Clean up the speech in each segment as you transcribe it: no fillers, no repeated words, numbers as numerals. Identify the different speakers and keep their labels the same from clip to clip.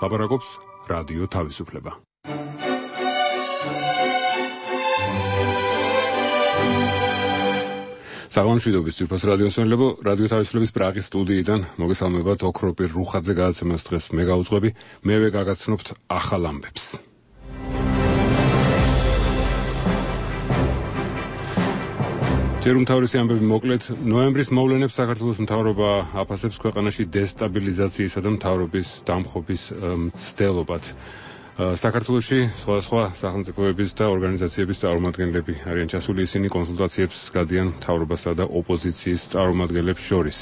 Speaker 1: ლაპარაკობს რადიო თავისუფლება. საღამოშვიდობის ძვირფას რადიოსმენელებო, რადიო თავისუფლების პრაღის სტუდიიდან მოგესალმებათ ოქროპირ რუხაძე გადაცემას დღეს მე გავუძღვები, მევე გაგაცნობთ ახალ ამბებს. ჯერ უმთავრესი ამბები მოკლედ, ნოემბრის მოვლენებს საქართველოს მთავრობა აფასებს ქვეყანაში დესტაბილიზაციისა და მთავრობის დამხობის მცდელობად. საქართველოში სხვა სახელმწიფოების და ორგანიზაციების წარმომადგენლები არიან ჩასული, ისინი კონსულტაციებს გადიან მთავრობასა და ოპოზიციის წარმომადგენლებს შორის.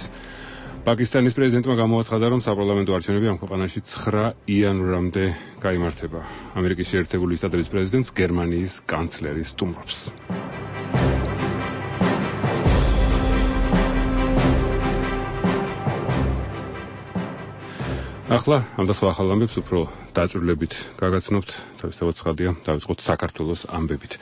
Speaker 1: პაკისტანის პრეზიდენტმა გამოაცხადა, რომ საპარლამენტო არჩევნები ამ ქვეყანაში 9 იანვრამდე გაიმართება. ამერიკის შეერთებული შტატების პრეზიდენტს გერმანიის კანცლერი სტუმრობს. ახლა ამ და სხვა ახალ ამბებს უფრო დაჭრილებით გაგაცნობთ, თავისთავად ცხადია, დავიწყოთ საქართველოს ამბებით.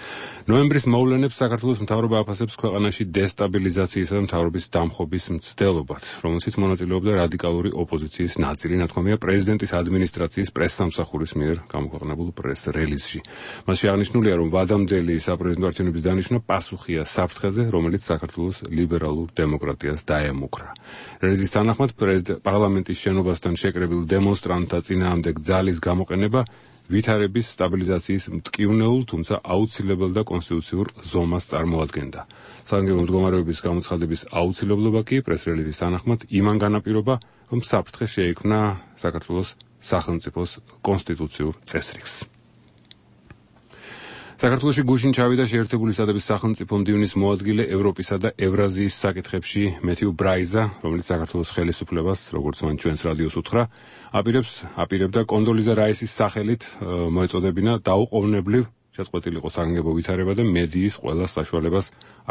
Speaker 1: ნოემბრის მოვლენებს საქართველოს მთავრობა აფასებს ქვეყანაში დესტაბილიზაციისა და მთავრობის დამხობის მცდელობად, რომელშიც მონაწილეობდა რადიკალური ოპოზიციის ნაწილი, ნათქვამია პრეზიდენტის ადმინისტრაციის პრესსამსახურის მიერ გამოქვეყნებულ პრეს-რელიზში. მასში აღნიშნულია, რომ ვადამდელი საპრეზიდენტო არჩევნების დანიშვნა პასუხია საფრთხეზე, რომელიც საქართველოს ლიბერალურ დემოკრატიას დაემუქრა. რელიზის თანახმად, პარლამენტის შენობასთან შეკრებილ დემონსტრანტთა წინააღმდეგ ძალის გამოყენება ვითარების სტაბილიზაციის მტკივნეულ, თუმცა აუცილებელ და კონსტიტუციურ ზომას წარმოადგენდა. საგანგებო მდგომარეობის გამოცხადების აუცილებლობა კი პრეს-რელიზის თანახმად იმან განაპირობა, რომ საფრთხე შეექმნა საქართველოს სახელმწიფოს კონსტიტუციურ წესრიგს. საქართველოში გუშინ ჩავიდა შეერთებული შტატების სახელმწიფო მდივნის მოადგილე ევროპისა და ევრაზიის საკითხებში მეთიუ ბრაიზა, რომელიც საქართველოს ხელისუფლებას, როგორც მან ჩვენს რადიოს უთხრა, აპირებდა კონდოლიზა რაისის სახელით მოეწოდებინა დაუყოვნებლივ შეწყვეტილიყო საგანგებო ვითარება და მედიის ყველა საშუალებას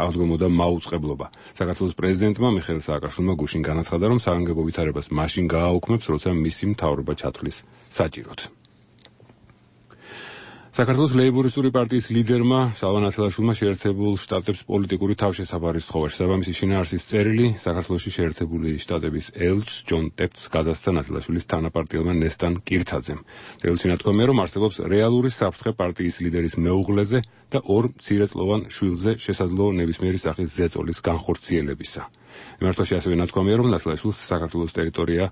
Speaker 1: აღდგომოდა მაუწყებლობა. საქართველოს პრეზიდენტმა მიხეილ სააკაშვილმა გუშინ განაცხადა, რომ საგანგებო ვითარებას მაშინ გააუქმებს, როცა მისი მთავრობა ჩათვლის საჭიროდ. საქართველოს ლეიბორისტული პარტიის ლიდერმა შალვა ნათელაშვილმა შეერთებულ შტატებს პოლიტიკური თავშესაფარი სთხოვა. შესაბამისი შინაარსის წერილი საქართველოში შეერთებული შტატების ელჩს ჯონ ტეპტს გადასცა ნათელაშვილის თანაპარტიელმა ნესტან კირცაძემ. წერილში ნათქვამია, რომ არსებობს რეალური საფრთხე პარტიის ლიდერის მეუღლეზე და ორ მცირეწლოვან შვილზე შესაძლო ნებისმიერი სახის ზეწოლის განხორციელებისა. მიმართვაში ასევე ნათქვამია, რომ ნათელაშვილს საქართველოს ტერიტორია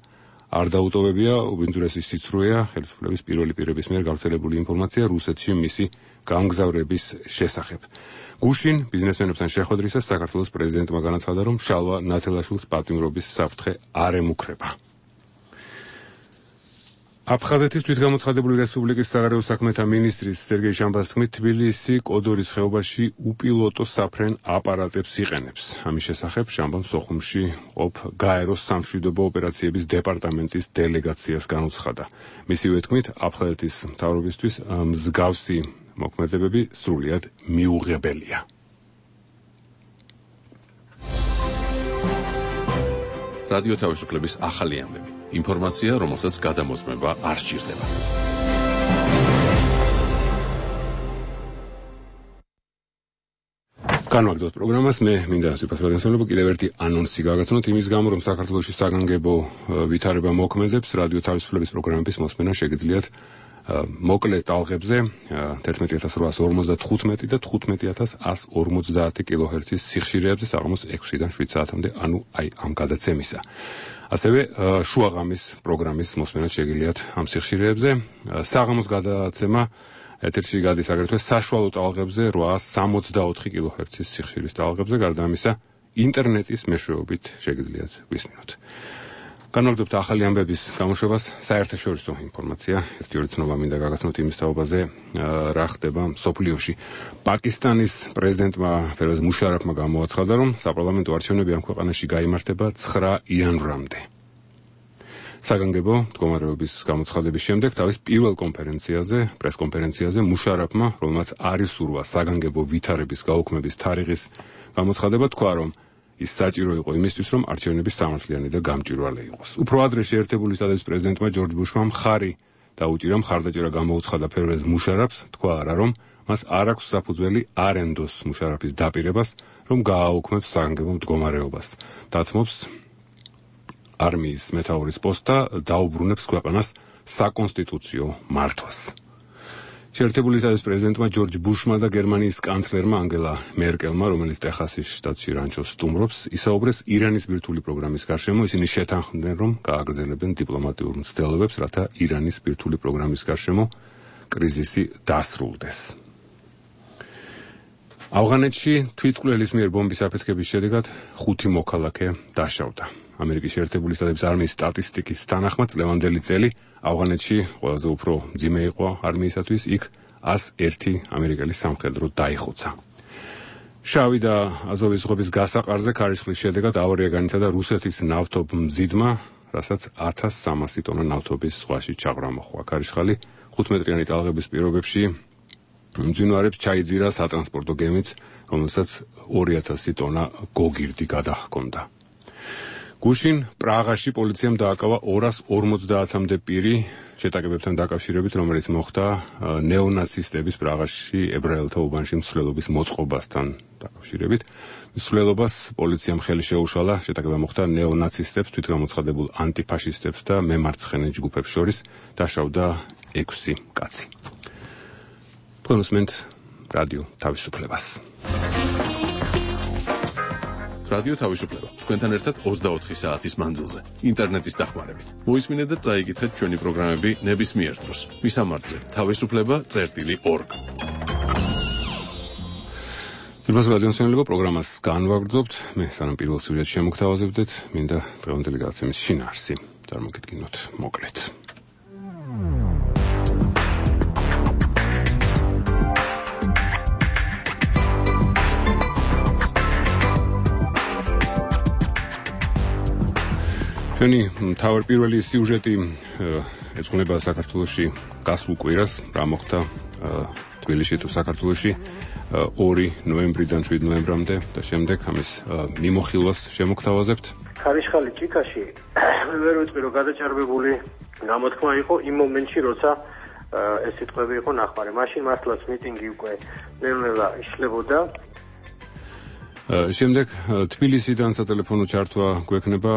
Speaker 1: არ დაუტოვებია, უბინძურესი სიცრუეა ხელისუფლების პირველი პირების მიერ გავრცელებული ინფორმაცია რუსეთში მისი გამგზავრების შესახებ. გუშინ ბიზნესმენებთან შეხვედრისას საქართველოს პრეზიდენტმა განაცხადა, რომ შალვა ნათელაშვილს პატიმრობის საფრთხე არ ემუქრება. აფხაზეთის თვითგამოცხადებული რესპუბლიკის საგარეო საქმეთა მინისტრის სერგეი შამბას თქმით, თბილისი კოდორის ხეობაში უპილოტო საფრენ აპარატებს იყენებს. ამის შესახებ შამბამ სოხუმში ყოფ გაეროს სამშვიდობო ოპერაციების დეპარტამენტის დელეგაციას განუცხადა. მისივე თქმით, აფხაზეთის მთავრობისთვის მსგავსი მოქმედებები სრულიად მიუღებელია.
Speaker 2: რადიო თავისუფლების ახალი ამბები. ინფორმაცია, რომელსაც გადამოწმება არ სჭირდება.
Speaker 1: განვაგრძელოთ პროგრამას, მე მინდა ძვირფას რადიოსმენელებო კიდევ ერთი ანონსი გაგაცნოთ იმის გამო, რომ საქართველოში საგანგებო ვითარება მოქმედებს, რადიო თავისუფლების პროგრამების მოსმენა შეგიძლიათ მოკლე ტალღებზე 11855 და 15150 კილოჰერცის სიხშირეებზე საღამოს 6-დან 7 საათამდე, ანუ აი ამ გადაცემისა. ასევე შუაღამის პროგრამის მოსმენა შეგიძლიათ ამ სიხშირეებზე. საღამოს გადაცემა ეთერში გადის აგრეთვე საშუალო ტალღებზე 864 კილოჰერცის სიხშირის ტალღებზე, გარდა ამისა ინტერნეტის მეშვეობით შეგიძლიათ ვისმინოთ. განვაგრძელებთ ახალი ამბების გამოშვებას, საერთაშორისო ინფორმაცია, ერთი-ორი ცნობა მინდა გაგაცნოთ იმის თაობაზე, რა ხდება მსოფლიოში. პაკისტანის პრეზიდენტმა ფერვაზ მუშარაფმა გამოაცხადა, რომ საპარლამენტო არჩევნები ამ ქვეყანაში გაიმართება 9 იანვრამდე. საგანგებო მდგომარეობის გამოცხადების შემდეგ თავის პირველ პრესკონფერენციაზე მუშარაფმა, რომელმაც არ ისურვა საგანგებო ვითარების გაუქმების თარიღის გამოცხადება, თქვა, რომ ის საჭირო იყო იმისთვის, რომ არჩევნები სამართლიანი და გამჭვირვალე იყოს. უფრო ადრე შეერთებული შტატების პრეზიდენტმა ჯორჯ ბუშმა მხარი დაუჭირა მხარდაჭერა გამოუცხადა ფერვაზ მუშარაფს, თქვა არა, რომ მას არ აქვს საფუძველი არ ენდოს მუშარაფის დაპირებას, რომ გააუქმებს საგანგებო მდგომარეობას. დათმობს არმიის მეთაურის პოსტს და დაუბრუნებს ქვეყანას საკონსტიტუციო მართვას. შეერთებული შტატების პრეზიდენტმა ჯორჯ ბუშმა და გერმანიის კანცლერმა ანგელა მერკელმა, რომელიც ტეხასის შტატში რანჩოს სტუმრობს, ისაუბრეს ირანის ბირთვული პროგრამის გარშემო. ისინი შეთანხმდნენ, რომ გააგრძელებენ დიპლომატიურ მცდელობებს, რათა ირანის ბირთვული პროგრამის გარშემო კრიზისი დასრულდეს. ავღანეთში თვითმკვლელის მიერ ბომბის აფეთქების შედეგად 5 მოქალაქე დაშავდა. ამერიკის შეერთებული შტატების არმიის სტატისტიკის თანახმად წლევანდელი წელი ავღანეთში ყველაზე უფრო მძიმე იყო არმიისათვის, იქ 101 ამერიკელი სამხედრო დაიხოცა. შავი და აზოვის ზღვების გასაყარზე ქარიშხლის შედეგად ავარია განიცადა რუსეთის ნავთობმზიდმა, რასაც 1300 ტონა ნავთობის ზღვაში ჩაღვრა მოჰყვა. ქარიშხალი 5 მეტრიანი ტალღების პირობებში მძინვარებს ჩაიძირა სატრანსპორტო გემიც, რომელსაც 2000 ტონა გოგირდი გადაჰქონდა. გუშინ პრაღაში პოლიციამ დააკავა 250-მდე პირი შეტაკებებთან დაკავშირებით, რომელიც მოხდა ნეონაცისტების პრაღაში ებრაელთა უბანში მსვლელობის მოწყობასთან დაკავშირებით. მსვლელობას პოლიციამ ხელი შეუშალა, შეტაკება მოხდა ნეონაცისტებს, თვითგამოცხადებულ ანტიფაშისტებს და მემარცხენე ჯგუფებს შორის, დაშავდა 6 კაცი. თქვენ უსმენთ რადიო თავისუფლებას.
Speaker 2: რადიო თავისუფლება თქვენთან ერთად 24 საათის მანძილზე ინტერნეტის დახმარებით. მოისმინეთ და წაიკითხეთ ჩვენი პროგრამები ნებისმიერ დროს. მისამართზე თავისუფლება.org.
Speaker 1: პირველ რადიოსმენელებო პროგრამას განვაგრძობთ. მე სანამ პირველ სიუჟეტს შემოგთავაზებდეთ, მინდა დღევანდელი გადაცემის შინაარსი წარმოგიდგინოთ მოკლედ. ჩვენი თავარპირველი სიუჟეტი ეძღვნება საქართველოში გასულ კვირას, რა მოხდა თბილისში თუ საქართველოში 2 ნოემბრიდან 7 ნოემბრამდე და შემდეგ ამის მიმოხილვას შემოგთავაზებთ.
Speaker 3: ქარიშხალი ჭიქაში ვერ ვიტყვი რომ გადაჭარბებული გამოთქმა იყო იმ მომენტში, როცა ეს სიტყვები იყო ნახმარი. მაშინ მართლაც მიტინგი უკვე ნელ-ნელა იშლებოდა.
Speaker 1: შემდეგ თბილისიდან სატელეფონო ჩართვა გვექნება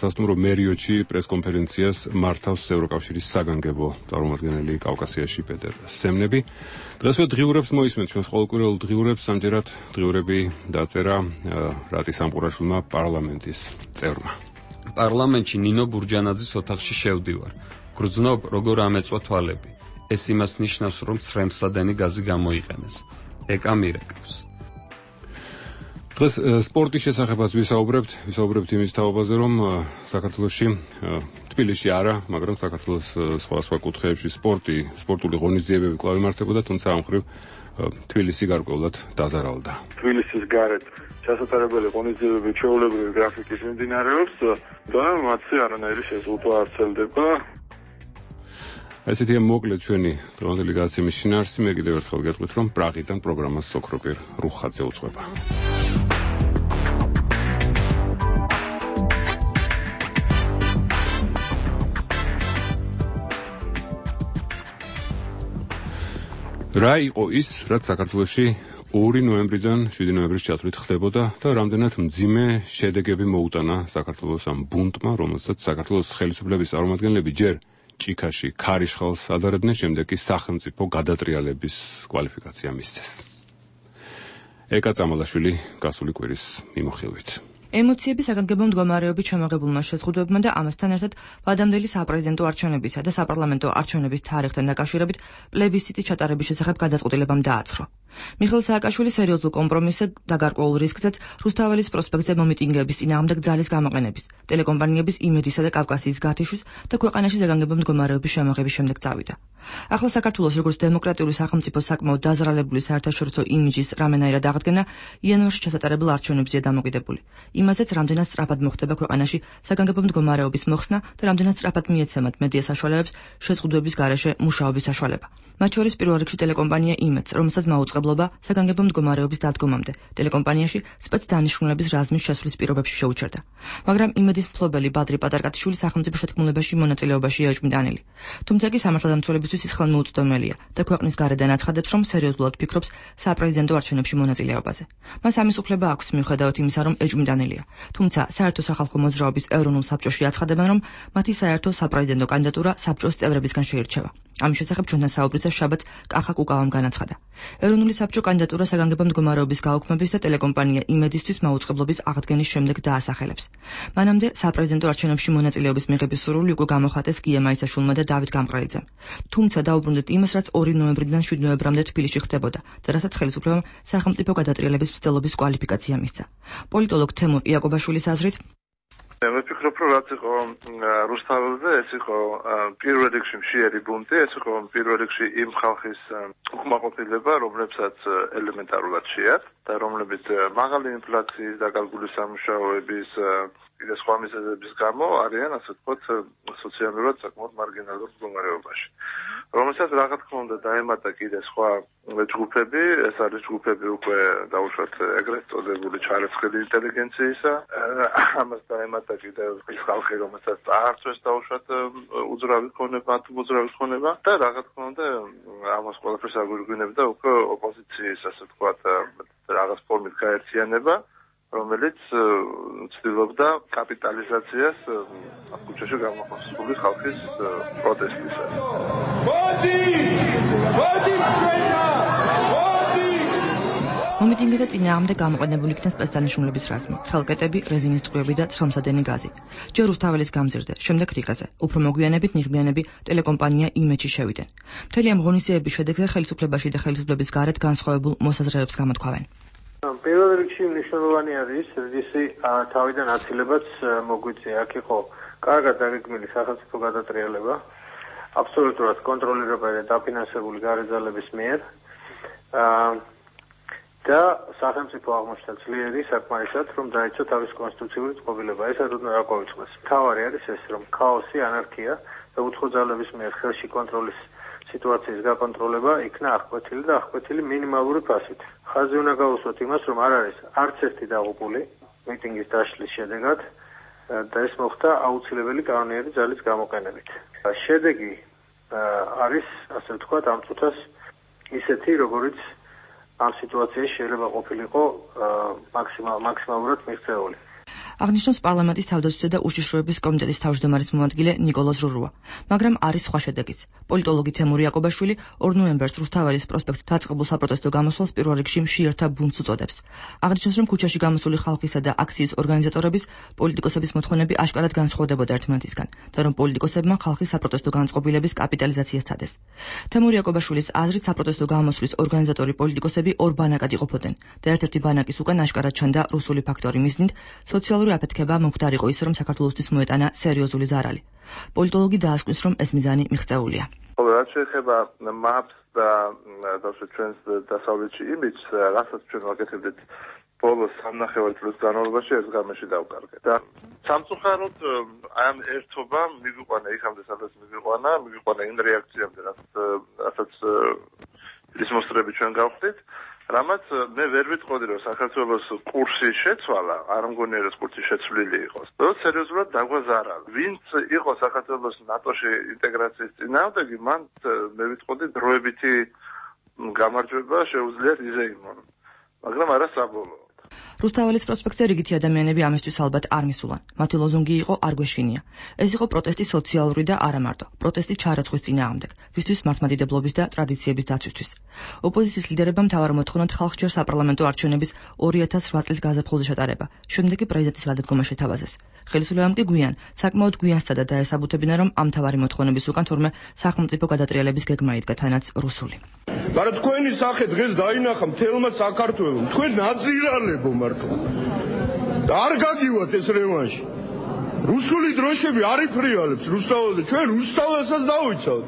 Speaker 1: სასტუმრო მერიოტში პრესკონფერენციას მართავს ევროკავშირის საგანგებო წარმომადგენელი კავკასიაში პეტერ სემნები. დღესვე დღიურებს მოისმენთ ჩვენს ყოველკვირეულ დღიურებს, ამჯერად დღიურები დაწერა რატი სამყურაშვილმა პარლამენტის წევრმა.
Speaker 4: პარლამენტში ნინო ბურჯანაძის ოთახში შევდივარ. გრძნობ როგორ ამეწვა თვალები. ეს იმას ნიშნავს, რომ ცრემსადენი გაზი გამოიყენეს. ეკა მირეკავს.
Speaker 1: დღეს სპორტის შესახებაც ვისაუბრებთ იმის თაობაზე, რომ საქართველოში თბილისში არა, მაგრამ საქართველოს სხვა კუთხეებში სპორტული ღონისძიებები კვლავ იმართებოდა, თუმცა ამ მხრივ თბილისი გარკვეულად დაზარალდა.
Speaker 5: თბილისის გარეთ ჩასატარებელი ღონისძიებები ჩვეულებრივი გრაფიკის მიმდინარეობს და მათი არანაირი შეზღუდვა არ ცელდება.
Speaker 1: ესეთია მოკლედ ჩვენი დღევანდელი გადაცემის შინაარსი. მე კიდევ ერთხელ გეტყვით, რომ პრაღიდან პროგრამას სოქროპირ რუხაძე უძღვება. რა იყო ის, რაც საქართველოში 2 ნოემბრიდან 7 ნოემბრის ჩათვლით ხდებოდა და რამდენად მძიმე შედეგები მოუტანა საქართველოს ამ ბუნტმა, რომელსაც საქართველოს ხელისუფლების წარმომადგენლები ჯერ ჭიქაში ქარიშხალს ადარებდნენ, შემდეგ კი სახელმწიფო გადატრიალების კვალიფიკაცია მისცეს. ეკა წამალაშვილი გასული კვირის მიმოხილვით.
Speaker 6: ემოციები საგანგებო მდგომარეობით შემოღებულმა შეზღუდვებმა და ამასთან ერთად ვადამდელი საპრეზიდენტო არჩევნებისა და საპარლამენტო არჩევნების თარიღთან დაკავშირებით პლებისციტის ჩატარების შესახებ გადაწყვეტილებამ დააცრო. მიხეილ სააკაშვილი სერიოზულ კომპრომისზე და გარკვეულ რისკზეც რუსთაველის პროსპექტზე მომიტინგეების წინააღმდეგ ძალის გამოყენების, ტელეკომპანიების იმედისა და კავკასიის გათიშვის და ქვეყანაში საგანგებო მდგომარეობის შემოღების შემდეგ წავიდა. ახლა საქართველოს როგორც დემოკრატიული სახელმწიფოს საკმაოდ დაზრალებული საერთაშორისო იმიჯის რამენაირად აღდგენა იანვარში ჩასატარებულ არჩევნებზეა დამოკიდებული. იმაზეც რამდენად სწრაფად მოხდება ქვეყანაში საგანგებო მდგომარეობის მოხსნა და რამდენად სწრაფად მიეცემათ მედია საშუალებებს შეზღუდვების გარეშე მუშაობის საშუალება. მათ შორის პირველ რიგში ტელეკომპანია იმედს, რომელსაც მაუწყებლობა საგანგებო მდგომარეობის დადგომამდე ტელეკომპანიაში სპეცდანიშნულების რაზმის შესვლის პირობებში შეუჩერდა. მაგრამ იმედის მფლობელი ბადრი პატარკაშვილი სახელმწიფო შეთქმულებაში მონაწილეობაში ეჭვმიტანილი. თუმცა კი სამართალდამცველებისთვის ის ხელმოუწვდომელია და ქვეყნის გარედან აცხადებს, რომ სერიოზულად ფიქრობს საპრეზიდენტო არჩევნებში მონაწილეობაზე. მას ამის უფლება აქვს, მიუხედავად იმისა, რომ ეჭვმიტანილი შექმნილია. თუმცა საერთო სახალხო მოძრაობის ეროვნულ საბჭოში აცხადებენ, რომ მათი საერთო საპრეზიდენტო კანდიდატურა საბჭოს წევრებისგან შეირჩევა. ამის შესახებ ჩვენთან საუბრისას შაბათს კახა კუკავამ განაცხადა. ეროვნული საბჭო კანდიდატურა საგანგებო მდგომარეობის გაუქმების და ტელეკომპანია იმედისთვის მაუწყებლობის აღდგენის შემდეგ დაასახელებს. მანამდე საპრეზიდენტო არჩევნებში მონაწილეობის მიღების სურვილი უკვე გამოხატეს კიემა ისაშვილმა და დავით გამყრელიძემ. თუმცა დაუბრუნდეთ იმას, რაც 2 ნოემბრიდან 7 ნოემბრამდე თბილისში ხდებოდა და რასაც ხელისუფლებამ სახელმწიფო გადატრიალების მცდელობის კვალიფიკაცია მისცა. პოლიტოლოგ თემურ იაკობაშვილის აზრით
Speaker 5: მე ვფიქრობ, რომ რაც იყო რუსთაველზე, ეს იყო პირველ რიგში მშიერი ბუნტი, ეს იყო პირველ რიგში იმ ხალხის უკმაყოფილება, რომლებსაც ელემენტარულად შეათ და რომლებიც მაღალი ინფლაციის და კალკულის სამუშაოების კიდე სხვა მიზეზების გამო არიან, ასე ვთქვათ, სოციალურად საკმაოდ მარგინალურ მდგომარეობაში. რომელსაც რა თქმა უნდა დაემატა კიდე სხვა ჯგუფები, ეს არის ჯგუფები უკვე დაუშვათ ეგრეთ წოდებული ჩარიცხილი ინტელიგენციისა, ამას დაემატა კიდე ის ხალხი, რომელსაც არცეს დაუშვათ უძრავი ქონება და რა თქმა უნდა ამას ყველაფერს აგვირგვინებდა უკვე ოპოზიციის, ასე ვთქვათ, რაღაც ფორმით გაერთიანება, რომელიც ცდილობდა კაპიტალიზაციას ქუჩაში გამოხსნილი ხალხის პროტესტისას.
Speaker 6: მომიტინგეთა წინააღმდეგ გამოყენებული იქნა სპეცდანიშნულების რაზმი, ხელკეტები, რეზინის ტყვიები და ცხელმსადენი გაზი. ჯერ რუსთაველის გამზირზე, შემდეგ რიყეზე. უფრო მოგვიანებით ნიღბიანები ტელეკომპანია იმედში შევიდნენ. მთელი ამ ღონისძიების შედეგზე ხელისუფლებაში და ხელისუფლების გარეთ განსხვავებულ მოსაზრებებს გამოთქვავენ.
Speaker 3: პირველ რიგში მნიშვნელოვანი არის, რისი თავიდან აცილებაც მოგვიწია. აქ იყო კარგად დაგეგმილი სახელმწიფო გადატრიალება, აბსოლუტურად კონტროლირებული და დაფინანსებული გარეძალების მიერ. და სახელმწიფო აღმოჩნდა ძლიერი საკმარისად, რომ დაიცვა თავის კონსტიტუციური წყობილება. ესად უნდა გაგვაუწყდეს. მთავარი არის ეს, რომ ქაოსი, ანარქია და უცხოძალების მიერ ხელში კონტროლის სიტუაციის გაკონტროლება იქნა აღკვეთილი და აღკვეთილი მინიმალური ფასით. ხაზი უნდა გაუსვათ იმას, რომ არ არის არც ერთი დაღუპული მიტინგის დაშლის შედეგად და ეს მოხდა აუცილებელი კანონიერი ძალის გამოყენებით. შედეგი არის, ასე ვთქვათ, ამ წუთას ისეთი, როგორიც ამ სიტუაციაში შეიძლება ყოფილიყო მაქსიმალურად მიღწეული.
Speaker 6: აღნიშნავს პარლამენტის თავდაცვისა და უშიშროების კომიტეტის თავმჯდომარის მომადგილე ნიკოლოზ რურუა, მაგრამ არის სხვა შედეგიც. პოლიტოლოგი თემურ იაკობაშვილი 2 ნოემბერს რუსთაველის პროსპექტში დაწყებულ საპროტესტო გამოსვლას პირველ რიგში მშიერთა ბუნტს უწოდებს. აღნიშნავს, რომ ქუჩაში გამოსული ხალხისა და აქციის ორგანიზატორების პოლიტიკოსების მოთხოვნები აშკარად განსხვავდებოდა ერთმანეთისგან და რომ პოლიტიკოსებმა ხალხის საპროტესტო განწყობილების კაპიტალიზაციას სცადეს. თემურ იაკობაშვილის აზრით საპროტესტო გამოსვლის ორგანიზატორი პოლიტიკოსები ორ ბანაკად იყოფოდნენ და ერთ-ერთი ბანაკის უკან აშკარად ჩანდა რუსული ფაქტორი მიზნით სოციალური აფეთქება მომხდარიყო ის, რომ საქართველოსთვის მოეტანა სერიოზული ზარალი. პოლიტოლოგი დაასკვნის, რომ ეს მიზანი მიღწეულია.
Speaker 5: რაც შეეხება MAPS და ჩვენს დასავლეთში იმიჯს, რასაც ჩვენ ვაკეთებდით ბოლოს 3.5 წლის განმავლობაში ეს გამეში დავკარგეთ. და სამწუხაროდ ამ ერთობამ მიგიყვანა იქამდე სადაც მიგიყვანა იმ რეაქციამდე, რასაც ის მოსწრები ჩვენ გავხდით. რამაც მე ვერ ვიტყოდი, რომ საქართველოს კურსი შეცვალა, არ მგონია რომ კურსი შეცვლილი იყოს. და სერიოზულად დაგვაზარა. ვინც იყო საქართველოს ნატოში ინტეგრაციის წინააღმდეგი, მან მე ვიტყოდი დროებითი გამარჯვება შეუძლიათ იზეიმონ. მაგრამ არა საბოლოოდ.
Speaker 6: რუსთაველის პროსპექტზე რიგითი ადამიანები ამისთვის ალბათ არ მისულან. მათი ლოზუნგი იყო არ გვეშინია. ეს იყო პროტესტი სოციალური და არა მარტო. პროტესტი ჩარაცხვის წინააღმდეგ, ვისთვის მართლმადიდებლობის და ტრადიციების დაცვისთვის. ოპოზიციის ლიდერებმა მთავარ მოთხოვნად ხალხს ჯერ საპარლამენტო არჩევნების 2008 წლის გაზაფხულზე შეტარება. შემდეგ კი პრეზიდენტის გადადგომა შეთავაზეს. ხელისუფლებამ კი გვიან, საკმაოდ გვიან სცადა დაესაბუთებინა, რომ ამ მთავარი მოთხოვნების უკან თურმე სახელმწიფო გადატრიალების გეგმა იდგა, თანაც რუსული.
Speaker 7: მაგრამ თქვენი სახე დღეს დაინახა მთელმა საქართველომ. თქვენ ნაძირალებო მართლა. არ გაგივათ ეს რევანში. რუსული დროშები არ იფრიალებს რუსთაველზე. ჩვენ რუსთაველსაც დავიცავთ.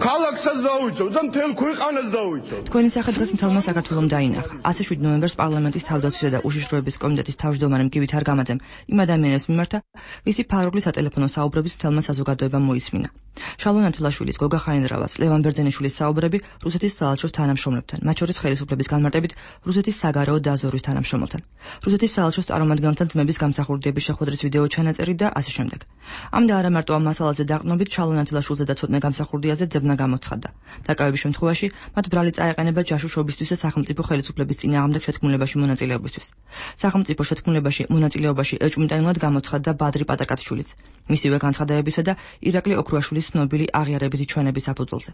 Speaker 7: ქალაქსაც დავიცავთ და მთელ ქვეყანას დავიცავთ.
Speaker 6: თქვენი სახე დღეს მთელმა საქართველომ დაინახა. 7 ნოემბერს პარლამენტის თავდაცვისა და უშიშროების კომიტეტის თავმჯდომარემ გივით არგამაძემ იმ ადამიანებს მიმართა, ვისი ფარული სატელეფონო საუბრების მთელმა საზოგადოებამ მოისმინა. შალონ ათილაშვილის, გოგა ხაინდრავას, ლევან ბერძენიშვილის საუბრები რუსეთის საელჩოს თანამშრომლებთან, მათ შორის ხელისუფლების განმარტებით რუსეთის საგარეო დაზვერვის თანამშრომელთან, რუსეთის საელჩოს წარმომადგენელთან ძმების გამსახურდიების შეხვედრის ვიდეო ჩანაწერი და ასე შემდეგ. ამდა არა მარტო ამ მასალაზე დაყრდნობით ჩალონათილაშვილზე და ცოტნე გამსახურდიაზე ძებნა გამოცხადდა. დაკავების შემთხვევაში მათ ბრალი წაეყენება ჯაშუშობისთვის და სახელმწიფო ხელისუფლების წინააღმდეგ შეთქმულებაში მონაწილეობისთვის. სახელმწიფო შეთქმულებაში მონაწილეობაში ეჭვმიტანილად გამოცხადდა ბადრი პატაკათშვილიც, მისივე განცხადებებისა და ირაკლი ოქრუაშვილის ცნობილი აღიარებითი ჩვენების საფუძველზე.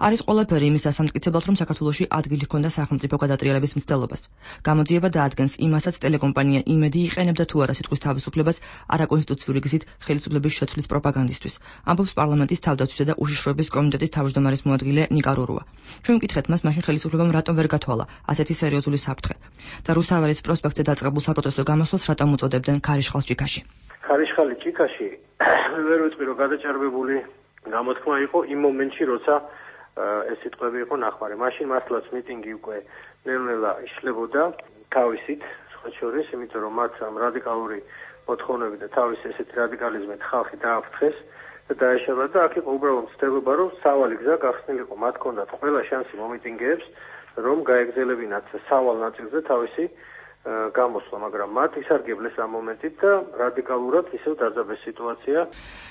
Speaker 6: არის ყველაფერი იმის დასამტკიცებლად, რომ საქართველოში ადგილი ჰქონდა სახელმწიფო გადატრიალების მცდელობას. გამოძიება დაადგენს იმასაც ტელეკომპანია იმედი იყენებდა თუ არა სიტყვის თავისუფლებას არაკონსტიტუციური გზით ხელისუფლების შეცვლის პროპაგანდისთვის, ამბობს პარლამენტის თავდაცვისა და უშიშროების კომიტეტის თავმჯდომარის მოადგილე ნიკა რურუა. ჩვენ ვკითხეთ მას, მაშინ ხელისუფლებამ რატომ ვერ გათვალა ასეთი სერიოზული საფრთხე და რუსთაველის პროსპექტზე დაწყებულ საპროტესტო გამოსვლას რატომ უწოდებდნენ ქარიშხალ ჭიქაში.
Speaker 3: ქარიშხალი ჭიქაში ვერ ვიტყვი, რომ გადაჭარბებული გამოთქმა იყო იმ მომენტში, როცა ეს სიტყვები იყო ნახვარი. მაშინ მართლაც მიტინგი უკვე ნელ-ნელა იშლებოდა თავისით, სხვა შორის, იმიტომ რომ მათ ამ რადიკალური მოთხოვნები და თავის ესეთი რადიკალიზმით ხალხი დააფრთხეს და დაეშალა და აქ იყო უბრალოდ ცდილობა, რომ სავალი გზა გახსნილიყო. მათ ჰქონდათ ყველა შანსი მომიტინგეებს, რომ გაეგზელებინათ სავალ ნაწილზე თავისი გამოსვლა, მაგრამ მათ ისარგებლეს ამ მომენტით და რადიკალურად ისევ დაძაბეს სიტუაცია.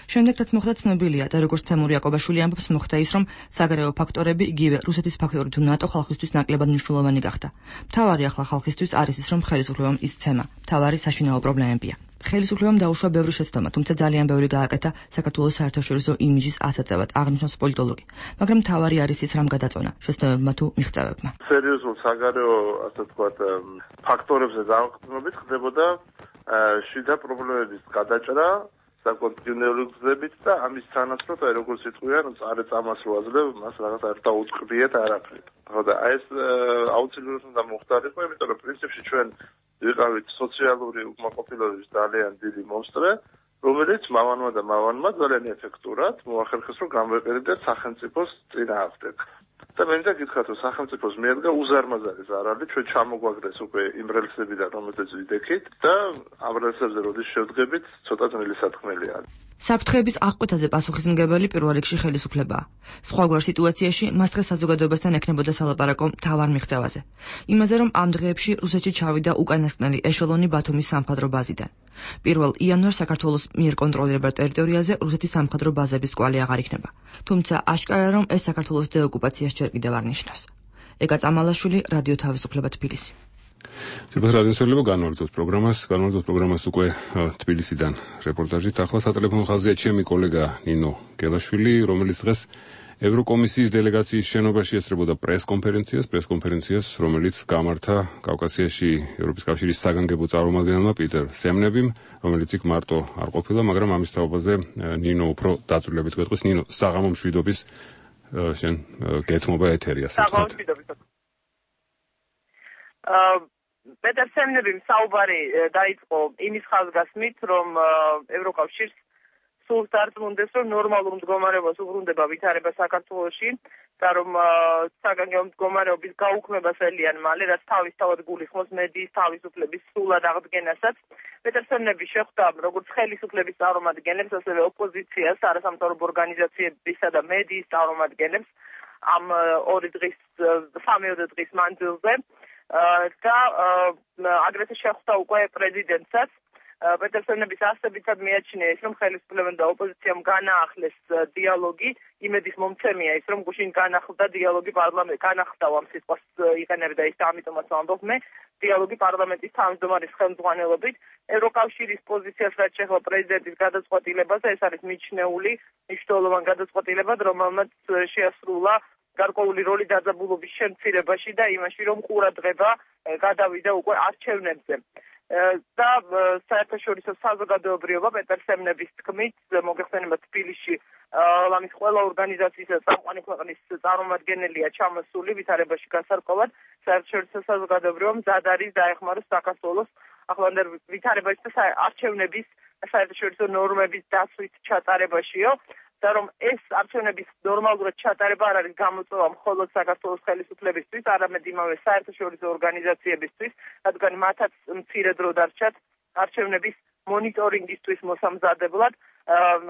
Speaker 6: შემდეგ რაც მოხდა ცნობილია და როგორც თემური აკობაშვილი ამბობს, მოხდა ის, რომ საგარეო ფაქტორები იგივე რუსეთის ფაქტორი თუ ნატო ხალხისთვის ნაკლებად მნიშვნელოვანი გახდა. მთავარი ახლა ხალხისთვის არის ის, რომ ხელისუფლებამ ისცემა. მთავარი საშინაო პრობლემებია. ხელისუფლებამ დაუშვა ბევრი შეცდომა, თუმცა ძალიან ბევრი გააკეთა საქართველოს საერთაშორისო იმიჯის ასაწევად, აღნიშნავს პოლიტოლოგი. მაგრამ მთავარი არის ის, რამ გადაწონა შეცდომებმა თუ მიღწევებმა.
Speaker 5: სერიოზულ საგარეო, ასე ვთქვათ, ფაქტორებზე დაყრდნობით ხდებოდა შიდა პრობლემების გადაჭრა საკონტინენტური გზებით და ამის თანახმად, როგორც იტყვიან, წამას რო აძლევ, მას რაღაც არ დაუწყდიეთ არაფრით. ხო და ეს აუცილებლად უნდა მოხდარიყო, იმიტომ რომ პრინციპში ჩვენ ვიყავით სოციალური უკმაყოფილების ძალიან დიდი მომსწრე, რომელიც მავანმა და მავანმა ძალიან ეფექტურად მოახერხეს, რომ გამეყერებინათ სახელმწიფოს წინააღმდეგ. და მე მინდა გითხრათ, რომ სახელმწიფოს მიადგა უზარმაზარი ზარალი, ჩვენ ჩამოგვაგდეს უკვე იმ რელსებიდან, რომელზეც ვიდექით და ამ რელსებზე როდის შევდგებით, ცოტა ძნელი სათქმელია.
Speaker 6: საფრთხეების აღკვეთაზე პასუხისმგებელი პირველ რიგში ხელისუფლებაა. სხვაგვარ სიტუაციაში მას დღეს საზოგადოებასთან ექნებოდა სალაპარაკო მთავარ მიღწევაზე. იმაზე, რომ ამ დღეებში რუსეთში ჩავიდა უკანასკნელი ეშელონი ბათუმის სამხედრო ბაზიდან. 1 იანვარს საქართველოს მიერ კონტროლირებულ ტერიტორიაზე რუსეთის სამხედრო ბაზების კვალი აღარ იქნება. თუმცა აშკარა რომ ეს საქართველოს დეოკუპაციას ჯერ კიდევ არ ნიშნავს. ეგა წამალაშვილი, რადიო თავისუფლება თბილისი.
Speaker 1: Სერბეთ რადიოსერლებო განმარტოთ პროგრამას უკვე თბილისიდან რეპორტაჟით. ახლა სატელეფონო ხაზია ჩემი კოლეგა ნინო გელაშვილი, რომელიც დღეს ევროკომისიის დელეგაციის შენობაში ესწრებოდა პრეს-კონფერენციას, რომელიც გამართა კავკასიაში ევროპის კავშირის საგანგებო წარმომადგენელმა პიტერ სემნებიმ, რომელიც იქ მარტო არ ყოფილა, მაგრამ ამის თაობაზე ნინო უფრო დაწვრილებით გვეტყვის. ნინო, საღამო მშვიდობის შენ გეთმობა ეთერია საერთოდ.
Speaker 8: პეტერ სემნებიმ საუბარი დაიწყო იმის ხაზგასმით, რომ ევროკავშირს სულ დარწმუნდეს, რომ ნორმალურ მდგომარეობას უბრუნდება ვითარება საქართველოში და რომ საგანგებო მდგომარეობის გაუქმებას ელიან მალე, რაც თავისთავად გულისხმობს მედიის თავისუფლების სრულად აღდგენასაც. პეტერ სემნები შეხვდა როგორც ხელისუფლების წარმომადგენლებს, ასევე ოპოზიციას, არასამთავრობო ორგანიზაციებისა და მედიის წარმომადგენლებს ამ 3 დღის მანძილზე. და აგრეთვე შეხვდა უკვე პრეზიდენტსაც. პეტერ სემნების ასებითად მიაჩნია ის, რომ ხელისუფლებამ და ოპოზიციამ განაახლეს დიალოგი. იმედის მომცემია ის, რომ გუშინ განახლდა დიალოგი პარლამენტში, განახლდა ამ სიტყვას იყენებდა ის, ამიტომაც ვამბობ მე, დიალოგი პარლამენტის თავმჯდომარის ხელმძღვანელობით. ევროკავშირის პოზიციას რაც შეეხება პრეზიდენტის გადაწყვეტილებაზე, ეს არის მიჩნეული მნიშვნელოვანი გადაწყვეტილება, რომელმაც შეასრულა გარკვეული როლი დაძაბულობის შემცირებაში და იმაში, რომ ყურადღება გადავიდა უკვე არჩევნებზე. და საერთაშორისო საზოგადოებრიობა პეტერ სემნების თქმით მოგეხსენება თბილისში ლამის ყველა ორგანიზაციის და წამყვანი ქვეყნის წარმომადგენელია ჩამოსული ვითარებაში გასარკვევად. საერთაშორისო საზოგადოებრიობა მზად არის დაეხმაროს საქართველოს ახლანდელ ვითარებაში და არჩევნების საერთაშორისო ნორმების დაცვით ჩატარებაშიო. და რომ ეს არჩევნების ნორმალურად ჩატარება არ არის გამოწვევა მხოლოდ საქართველოს ხელისუფლებისთვის, არამედ იმავე საერთაშორისო ორგანიზაციებისთვის, რადგან მათაც მცირე დრო დარჩათ არჩევნების მონიტორინგისთვის მოსამზადებლად.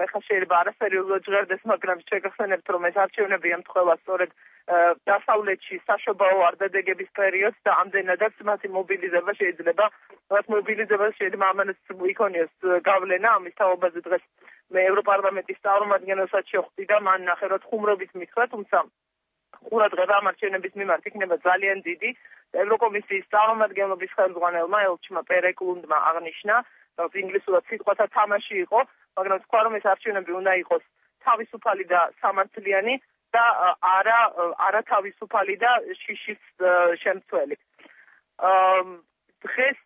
Speaker 8: ეხლა შეიძლება არასერიოზულად ჟღერდეს, მაგრამ შეგახსენებთ, რომ ეს არჩევნები ემთხვევა სწორედ დასავლეთში საშობაო არდადეგების პერიოდს და ამდენადაც მათი მობილიზება შეიძლება ამანაც იქონიოს გავლენა. ამის თაობაზე დღეს მე ევროპარლამენტის წარმომადგენელსაც შეხვდი და მან ნახე რომ ხუმრობით მითხრა, თუმცა ყურადღება ამ არჩევნების მიმართ იქნება ძალიან დიდი. ევროკომისიის წარმომადგენლობის ხელმძღვანელმა ელჩმა პერეკლუნდმა აღნიშნა, რომ ინგლისურად სიტყვათა თამაში იყო, მაგრამ თქვა რომ ეს არჩევნები უნდა იყოს თავისუფალი და სამართლიანი და არა თავისუფალი და შიშის შემცველი. დღეს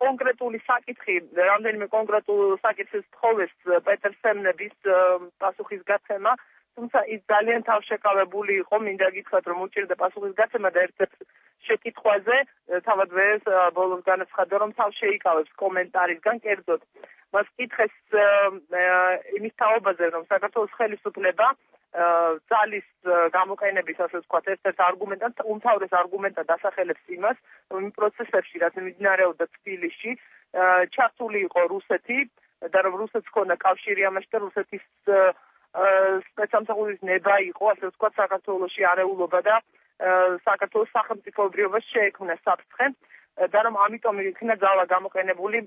Speaker 8: კონკრეტული საკითხი, რამდენიმე კონკრეტულ საკითხის თხოვეს პეტერ სემნების პასუხისგაცემა, თუმცა ის ძალიან თავშეკავებული იყო, მინდა გითხრათ, რომ უჭირდა პასუხისგაცემა და ერთ-ერთ შეკითხვაზე თავად ვერს ბოლოს განაცხადა, რომ თავს შეიკავებს კომენტარისგან, კერძოდ მას კითხეს იმის თაობაზე, რომ საქართველოს ხელისუფლება ძალის გამოყენების, ასე ვთქვათ, ერთ-ერთ არგუმენტად, უმთავრეს არგუმენტად ასახელებს იმას, რომ იმ პროცესებში, რაც მიმდინარეობდა თბილისში, ჩართული იყო რუსეთი და რომ რუსეთს ჰქონდა კავშირი ამაში და რუსეთის სპეცსამსახურის ნება იყო, ასე ვთქვათ, საქართველოში არეულობა და საქართველოს სახელმწიფოებრიობას შეექმნა საფრთხე და რომ ამიტომ იქნა ძალა გამოყენებული.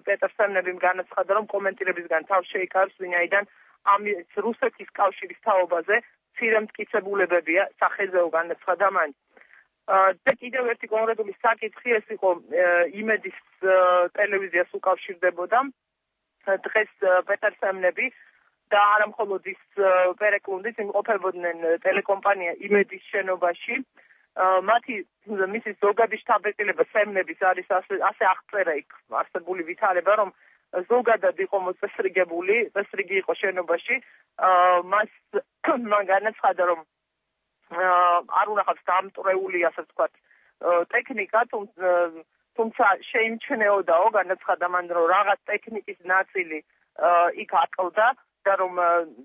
Speaker 8: პეტერ სემნებიმ განაცხადა, რომ კომენტირებისგან თავს შეიკავებს, ვინაიდან ამ რუსეთის კავშირის თაობაზე მცირე მტკიცებულებებია, სახეზეო განაცხადა მან. და კიდევ ერთი კონკრეტული საკითხი, ეს იყო იმედის ტელევიზიას უკავშირდებოდა. დღეს პეტერ სემნები და არა მხოლოდ ის პერეკლუნდიც იმყოფებოდნენ ტელეკომპანია იმედის შენობაში. მისი ზოგადი შტაბ-ბიჭება სემნების არის ასე აღწერა იქ არსებული ვითარება, რომ ზოგადად იყო მოწესრიგებული, წესრიგი იყო შენობაში. მან განაცხადა, რომ არ უნახავს დამტრეული, ასე ვთქვათ, ტექნიკა, თუმცა შეიმჩნეოდაო, განაცხადა მან, რომ რაღაც ტექნიკის ნაწილი იქ აკლდა და რომ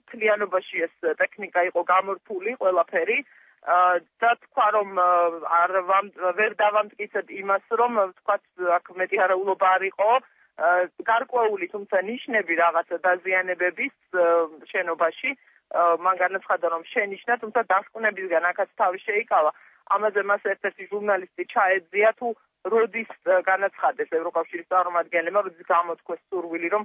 Speaker 8: მთლიანობაში ეს ტექნიკა იყო გამორთული ყველაფერი და თქვა, რომ ვერ დავამტკიცებ იმას, რომ ვთქვათ, აქ მეტი არაულობა არ იყო, გარკვეული, თუმცა ნიშნები რაღაც დაზიანებების შენობაში. მან განაცხადა, რომ შენიშნა, თუმცა დასკვნებისგან აქაც თავი შეიკავა. ამაზე მას ერთ-ერთი ჟურნალისტი ჩაეძია, თუ როდის განაცხადეს ევროკავშირის წარმომადგენლებმა, როდის გამოთქვეს სურვილი, რომ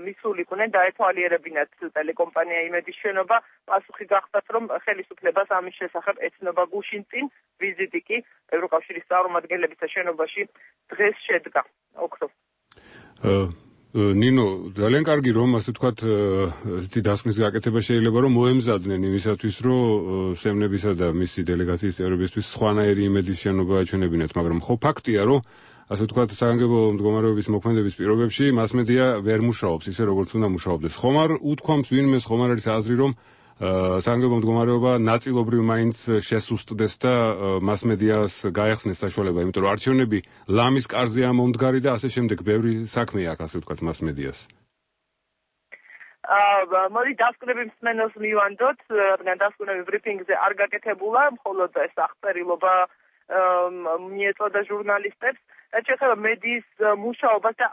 Speaker 8: მისულიყვნენ დაეთვალიერებინათ ტელეკომპანია იმედის შენობა. პასუხი გახდათ, რომ ხელისუფლებას ამის შესახებ ეცნობა გუშინ წინ, ვიზიტი კი ევროკავშირის წარმომადგენლებისა შენობაში დღეს შედგა. ოქროს.
Speaker 1: ნინო, ძალიან კარგი რომ ასე ვთქვათ, ესეთი დასკვნის გაკეთება შეიძლება რომ მოემზადნენ იმისათვის, რომ სემნებისა და მისი დელეგაციის წევრებისთვის სხვანაირი იმედის შენობა აჩვენებინათ, მაგრამ ხო ფაქტია, რომ ასე ვთქვათ, საგანგებო მდგომარეობის მოქმედების პირობებში მასმედია ვერ მუშაობს ისე როგორც უნდა მუშაობდეს. ხომ არ უთქვამს ვინმეს, ხომ არ არის აზრი, რომ საგანგებო მდგომარეობა ნაწილობრივ მაინც შესუსტდეს და მასმედიას გაეხსნეს საშუალება, იმიტომ რომ არჩევნები ლამის კარზეა მომდგარი და ასე შემდეგ ბევრი საქმე აქვს, ასე ვთქვათ, მასმედიას.
Speaker 8: მოდი დასკვნები მსმენელს მივანდოთ, რადგან დასკვნები ბრიფინგზე არ გაკეთებულა, მხოლოდ ეს აღწერილობა მიეწოდა ჟურნალისტებს. რაც შეეხება მედიის მუშაობას და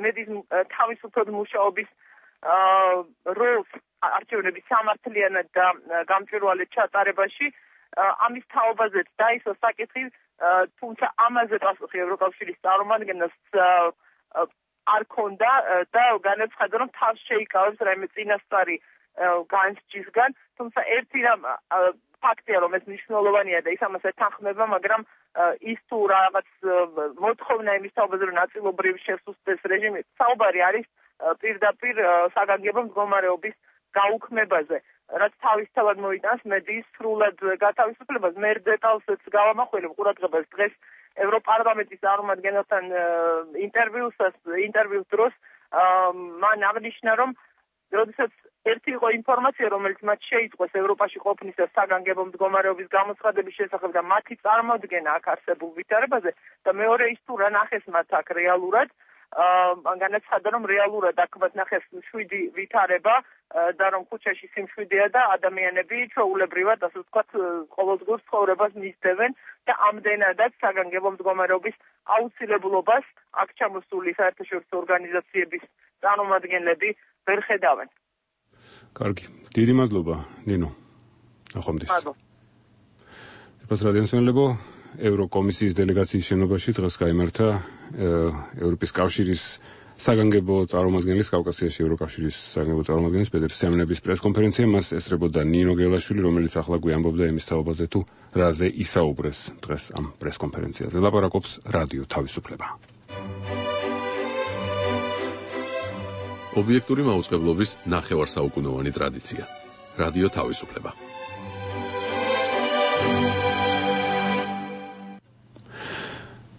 Speaker 8: მედიის თავისუფლად მუშაობის როლს არჩევნების სამართლიანად და გამჭვირვალედ ჩატარებაში, ამის თაობაზეც დაისვა საკითხი, თუმცა ამაზე პასუხი ევროკავშირის წარმომადგენელს არ ქონდა და განაცხადა, რომ თავს შეიკავებს რაიმე წინასწარი განსჯისგან, თუმცა ერთი რამ ფაქტია, რომ ეს მნიშვნელოვანია და ის ამას ეთანხმება, მაგრამ ის თუ რაღაც მოთხოვნა იმის თაობაზე, რომ ნაწილობრივ შესუსტდეს რეჟიმი, საუბარი არის პირდაპირ საგანგებო მდგომარეობის გაუქმებაზე, რაც თავისთავად მოიტანს მედიის სრულად გათავისუფლებას. მე დეტალსაც გავამახვილებ ყურადღებას დღეს ევროპარლამენტის წარმომადგენელთან ინტერვიუს დროს მან აღნიშნა, რომ როდესაც ერთი იყო ინფორმაცია, რომელიც მათ შეიტყვეს ევროპაში ყოფნის და საგანგებო მდგომარეობის გამოცხადების შესახებ და მათი წარმოდგენა აქ არსებულ ვითარებაზე და მეორე ის თუ რა ნახეს მათ აქ რეალურად, განაცხადა, რომ რეალურად აქ მათ ნახეს მშვიდი ვითარება და რომ ქუჩაში სიმშვიდეა და ადამიანები ჩვეულებრივად, ასე ვთქვათ, ყოველდღიურ ცხოვრებას მისდევენ და ამდენადაც საგანგებო მდგომარეობის აუცილებლობას აქ ჩამოსული საერთაშორისო ორგანიზაციების წარმომადგენლები ვერ ხედავენ.
Speaker 1: კარგი, დიდი მადლობა, ნინო. ნახვამდის.
Speaker 8: მადლობა.
Speaker 1: ეს რადიოსმენელებო, ევროკომისიის დელეგაციის შენობაში დღეს გაიმართა ევროპის კავშირის საგანგებო წარმომადგენლის კავკასიაში ევროკავშირის საგანგებო წარმომადგენლის პეტერ სემნების პრესკონფერენცია მას ესწრებოდა ნინო გელაშვილი, რომელიც ახლა გვიამბობდა იმის თაობაზე თუ რაზე ისაუბრეს დღეს ამ პრესკონფერენციაზე. ლაპარაკობს რადიო თავისუფლება.
Speaker 2: ობიექტური მაუწყებლობის ნახევარსაუკუნოვანი ტრადიცია. რადიო თავისუფლება.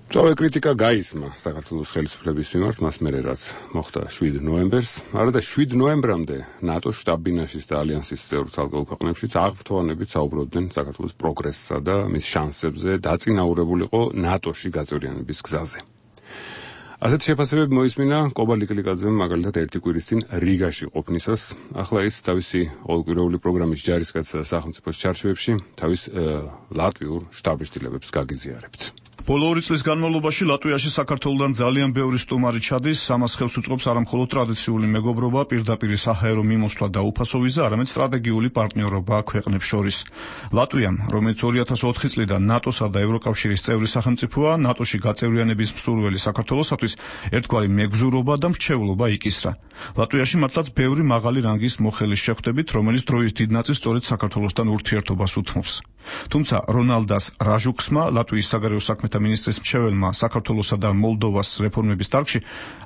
Speaker 1: წავე კრიტიკა გაისმა საქართველოს ხელისუფლების მიმართ მას მერე რაც მოხდა 7 ნოემბერს. არა და 7 ნოემბრამდე ნატოს შტაბ-ბინაშიც და ალიანსის წევრ ცალკეულ ქვეყნებშიც აღფრთოვანებით საუბრობდნენ საქართველოს პროგრესსა და მის შანსებზე დაწინაურებულიყო ნატოში გაწევრიანების გზაზე. ასეთ შეფასებები მოისმინა კობა ლიკლიკაძემ მაგალითად ერთი კვირის წინ რიგაში ყოფნისას. ახლა ის თავისი ყოველკვირეული პროგრამის ჯარისკაცსა და სახელმწიფოს ჩარჩოებში თავის ლატვიურ შტაბ-შტილებებს გაგიზიარებთ.
Speaker 9: ბოლო 2 წლის განმავლობაში ლატვიაში საქართველოსთან ძალიან ბევრი სტუმარი ჩადის, ამას ხელს უწყობს არამხოლოდ ტრადიციული მეგობრობა, პირდაპირ საჰაერო მიმოსვლა და უფასო ვიზა, არამედ სტრატეგიული პარტნიორობა ქვეყნებს შორის. ლატვიამ, რომელიც 2004 წლიდან ნატოსა და ევროკავშირის წევრი სახელმწიფოა, ნატოში გაწევრიანების მსურველი საქართველოსათვის ერთგვარი მეგზურობა და მრჩევლობა იკისრა. ლატვიაში მართლაც ბევრი მაღალი რანგის მოხელის შეხვდებით, რომელიც დროის დიდ ნაწილს სწორედ საქართველოსთან ურთიერთობას უთმობს. თუმცა რონალდას რაჟუქსმა, ლატვიის საგარეო საქმეთა მინისტრის მრჩეველმა საქართველოსა და მოლდოვას რეფორმების დარგში,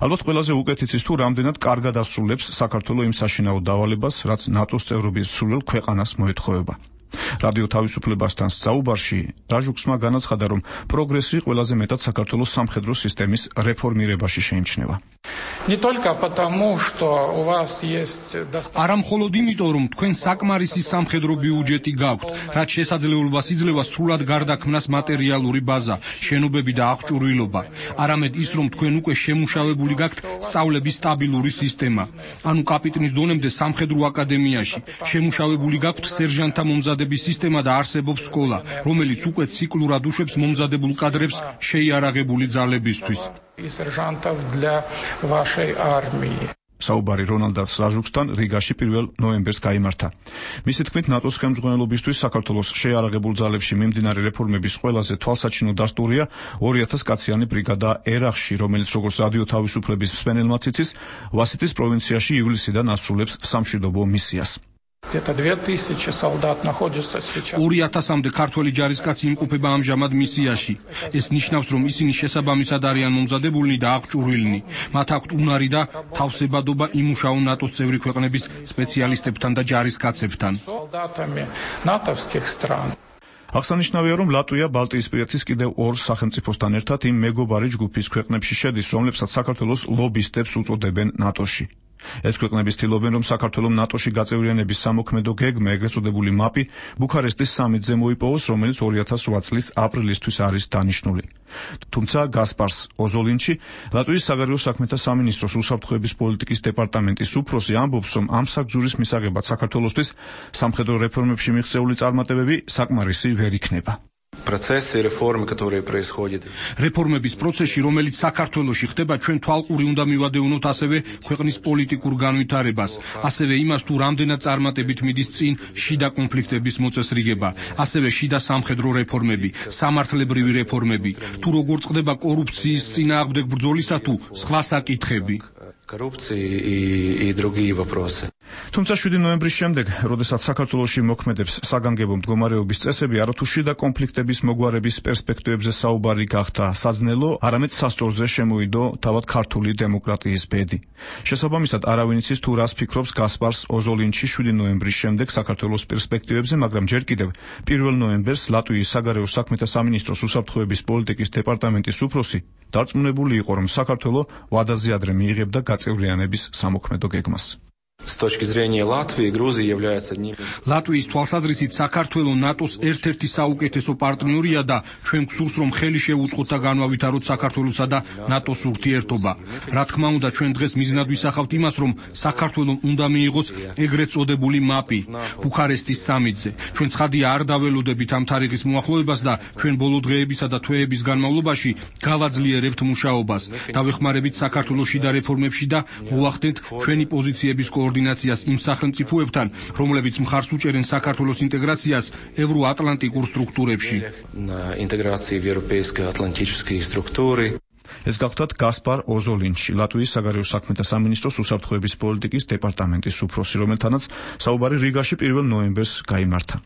Speaker 9: ალბათ ყველაზე უკეთ იცის თუ რამდენად კარგად ასრულებს საქართველოს იმ საშინაო დავალებას, რაც ნატოს წევრობის სრულ ქვეყანას მოეთხოვება. რადიო თავისუფლებასთან საუბარში რაჟუქსმა განაცხადა, რომ პროგრესი ყველაზე მეტად საქართველოს სამხედრო სისტემის რეფორმირებაში შეიმჩნევა.
Speaker 10: არა მხოლოდ იმიტომ, რომ თქვენ საკმარისი სამხედრო ბიუჯეტი გაქვთ, რაც შესაძლებლობას იძლევა სრულად გარდაქმნას მატერიალური ბაზა, შენობები და აღჭურვილობა, არამედ ის, რომ თქვენ უკვე შემუშავებული გაქვთ სწავლების სტაბილური სისტემა, ანუ კაპიტნის დონემდე სამხედრო აკადემიაში, შემუშავებული გაქვთ სერჟანტთა მომზადების სისტემა და არსებობს სკოლა, რომელიც უკვე ციკლურად უშვებს მომზადებულ კადრებს შეიარაღებული ძალებისთვის.
Speaker 9: საუბარი რონალდას რაჟუქსთან რიგაში 1 ნოემბერს გაიმართა. მისი თქმით, ნატოს ხელმძღვანელობისთვის საქართველოს შეიარაღებულ ძალებში მიმდინარე რეფორმების ყველაზე თვალსაჩინო დასტურია 2000 კაციანი ბრიგადა ერახში, რომელიც როგორც რადიო თავისუფლების მსმენელმაც იცის, ვასიტის პროვინციაში ივლისიდან ასრულებს სამშვიდობო მისიას.
Speaker 10: 2000-მდე ქართველი ჯარისკაცი იმყოფება ამჟამად მისიაში. ეს ნიშნავს, რომ ისინი შესაბამისად არიან მომზადებულნი და აღჭურვილნი. მათ აქვთ უნარი და თავსებადობა იმუშაონ ნატოს წევრი ქვეყნების სპეციალისტებთან და ჯარისკაცებთან.
Speaker 9: აღსანიშნავია, რომ ლატვია ბალტიისპირეთის კიდევ 2 სახელმწიფოსთან ერთად იმ მეგობარი ჯგუფის ქვეყნებში შედის, რომლებსაც საქართველოს ლობისტებს უწოდებენ ნატოში. ეს ქვეყნები ცდილობენ, რომ საქართველოს ნატოში გაწევრიანების სამოქმედო გეგმა, ეგრეთ წოდებული მაპი, ბუქარესტის სამიტზე მოიპოვოს, რომელიც 2008 წლის აპრილისთვის არის დანიშნული. თუმცა გასპარს ოზოლინჩი, ლატვიის საგარეო საქმეთა სამინისტროს უსაფრთხოების პოლიტიკის დეპარტამენტის უფროსი ამბობს, რომ ამ საგზურის მისაღებად საქართველოსთვის სამხედრო რეფორმებში მიღწეული წარმატებები საკმარისი ვერ იქნება.
Speaker 10: რეფორმების პროცესში, რომელიც საქართველოში ხდება, ჩვენ თვალყური უნდა მივადევნოთ ასევე ქვეყნის პოლიტიკურ განვითარებას, ასევე იმას, თუ რამდენად წარმატებით მიდის წინ შიდა კონფლიქტების მოწესრიგება, ასევე შიდა სამხედრო რეფორმები, სამართლებრივი რეფორმები, თუ როგორ წყდება კორუფციის წინააღმდეგ ბრძოლისა თუ სხვა საკითხები.
Speaker 9: თუმცა 7 ნოემბრის შემდეგ, როდესაც საქართველოში მოქმედებს საგანგებო მდგომარეობის წესები, არათუ შიდა კონფლიქტების მოგვარების პერსპექტივებზე საუბარი გახდა საძნელო, არამედ სასწორზე შემოიდო თავად ქართული დემოკრატიის ბედი. შესაბამისად, არავინ იცის თუ რას ფიქრობს გასპარს ოზოლინჩი 7 ნოემბრის შემდეგ საქართველოს პერსპექტივებზე, მაგრამ ჯერ კიდევ 1 ნოემბერს ლატვიის საგარეო საქმეთა სამინისტროს უსაფრთხოების პოლიტიკის დეპარტამენტის უფროსი დარწმუნებული იყო, რომ საქართველო ვადაზე ადრე მიიღებდა გაწევრიანების სამოქმედო გეგმას.
Speaker 10: ლატვიის თვალსაზრისით საქართველო ნატოს ერთ-ერთი საუკეთესო პარტნიორია და ჩვენ გსურს, რომ ხელი შევუწყოთ და განვავითაროთ საქართველოსა და ნატოს ურთიერთობა. რა თქმა უნდა, ჩვენ დღეს მიზნად ვისახავთ იმას, რომ საქართველომ უნდა მიიღოს ეგრეთ წოდებული მაპი ბუქარესტის სამიტზე. ჩვენ ცხადია არ დაველოდებით ამ თარიღის მოახლოებას და ჩვენ ბოლო დღეებისა და თვეების განმავლობაში გავაძლიერებთ მუშაობას. დავეხმარებით საქართველოს შიდა რეფორმებში და მოვახდენთ ჩვენი პოზიციების კოორდინაციას იმ სახელმწიფოებთან, რომლებიც მხარს უჭერენ საქართველოს ინტეგრაციას ევროატლანტიკურ სტრუქტურებში.
Speaker 9: ეს გახლდათ გასპარ ოზოლინჩი, ლატვიის საგარეო საქმეთა სამინისტროს უსაფრთხოების პოლიტიკის დეპარტამენტის უფროსი, რომელთანაც საუბარი რიგაში 1 ნოემბერს გაიმართა.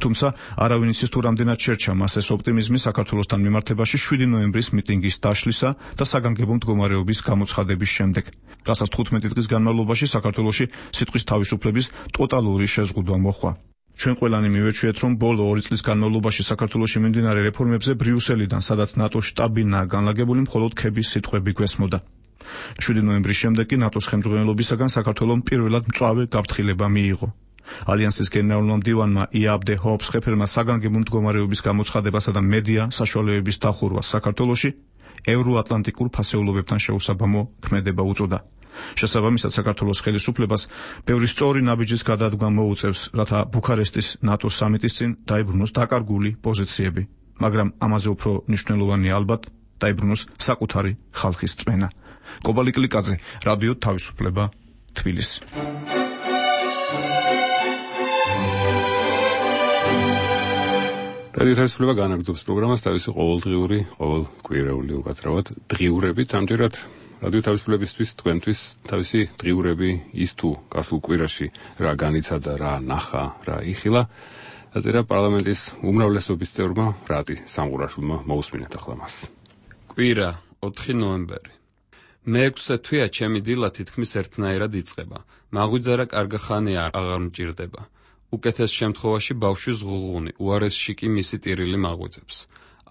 Speaker 9: თუმცა არავინ იცის თუ რამდენად შერჩა მას ეს ოპტიმიზმი საქართველოსთან მიმართებაში 7 ნოემბრის მიტინგის დაშლისა და საგანგებო მდგომარეობის გამოცხადების შემდეგ, რასაც 15 დღის განმავლობაში საქართველოში სიტყვის თავისუფლების ტოტალური შეზღუდვა მოჰყვა. ჩვენ ყველანი მივეჩვიეთ, რომ ბოლო 2 წლის განმავლობაში საქართველოში მიმდინარე რეფორმებზე ბრიუსელიდან, სადაც ნატოს შტაბინაა განლაგებული, მხოლოდ ქების სიტყვები გვესმოდა. 7 ნოემბრის შემდეგ კი ნატოს ხელმძღვანელობისაგან საქართველომ პირველად მწვავე გაფრთხილება მიიღო. ალიანსის გენერალურმა მდივანმა იაბდე ჰოფსხეფერმა საგანგებო მდგომარეობის გამოცხადებასა და მედია საშუალებების დახურვას საქართველოში ევროატლანტიკურ ფასეულობებთან შეუსაბამო ქმედება უწოდა. შესაბამისად საქართველოს ხელისუფლებას ბევრი სწორი ნაბიჯის გადადგმა მოუწევს, რათა ბუქარესტის ნატოს სამიტის წინ დაიბრუნოს დაკარგული პოზიციები, მაგრამ ამაზე უფრო მნიშვნელოვანია ალბათ დაიბრუნოს საკუთარი ხალხის წმენა. კობალი კლიკაძე, რადიო თავისუფლება, თბილისი.
Speaker 1: რადიო თავისუფლება განაგრძობს პროგრამას თავისი ყოველდღიური, ყოველკვირეული უკაცრავად დღიურებით. ამჯერად რადიო თავისუფლებისთვის თქვენთვის თავისი დღიურები ის თუ გასულ კვირაში რა განიცადა, რა ნახა, რა იხილა, დაწერა პარლამენტის უმრავლესობის წევრმა რატი სამყურაშვილმა. მოусმინეთ ახლა მას.
Speaker 4: კვირა 4 ნოემბერი. მე-6 თვეა ჩემი დილა თითქმის ერთნაირად იწყება. მაღვიძარა კარგა ხანია აღარ მჭირდება. უკეთეს შემთხვევაში ბავშვის ღუღუნი, უარესში კი მისი ტირილი მაღვიძებს.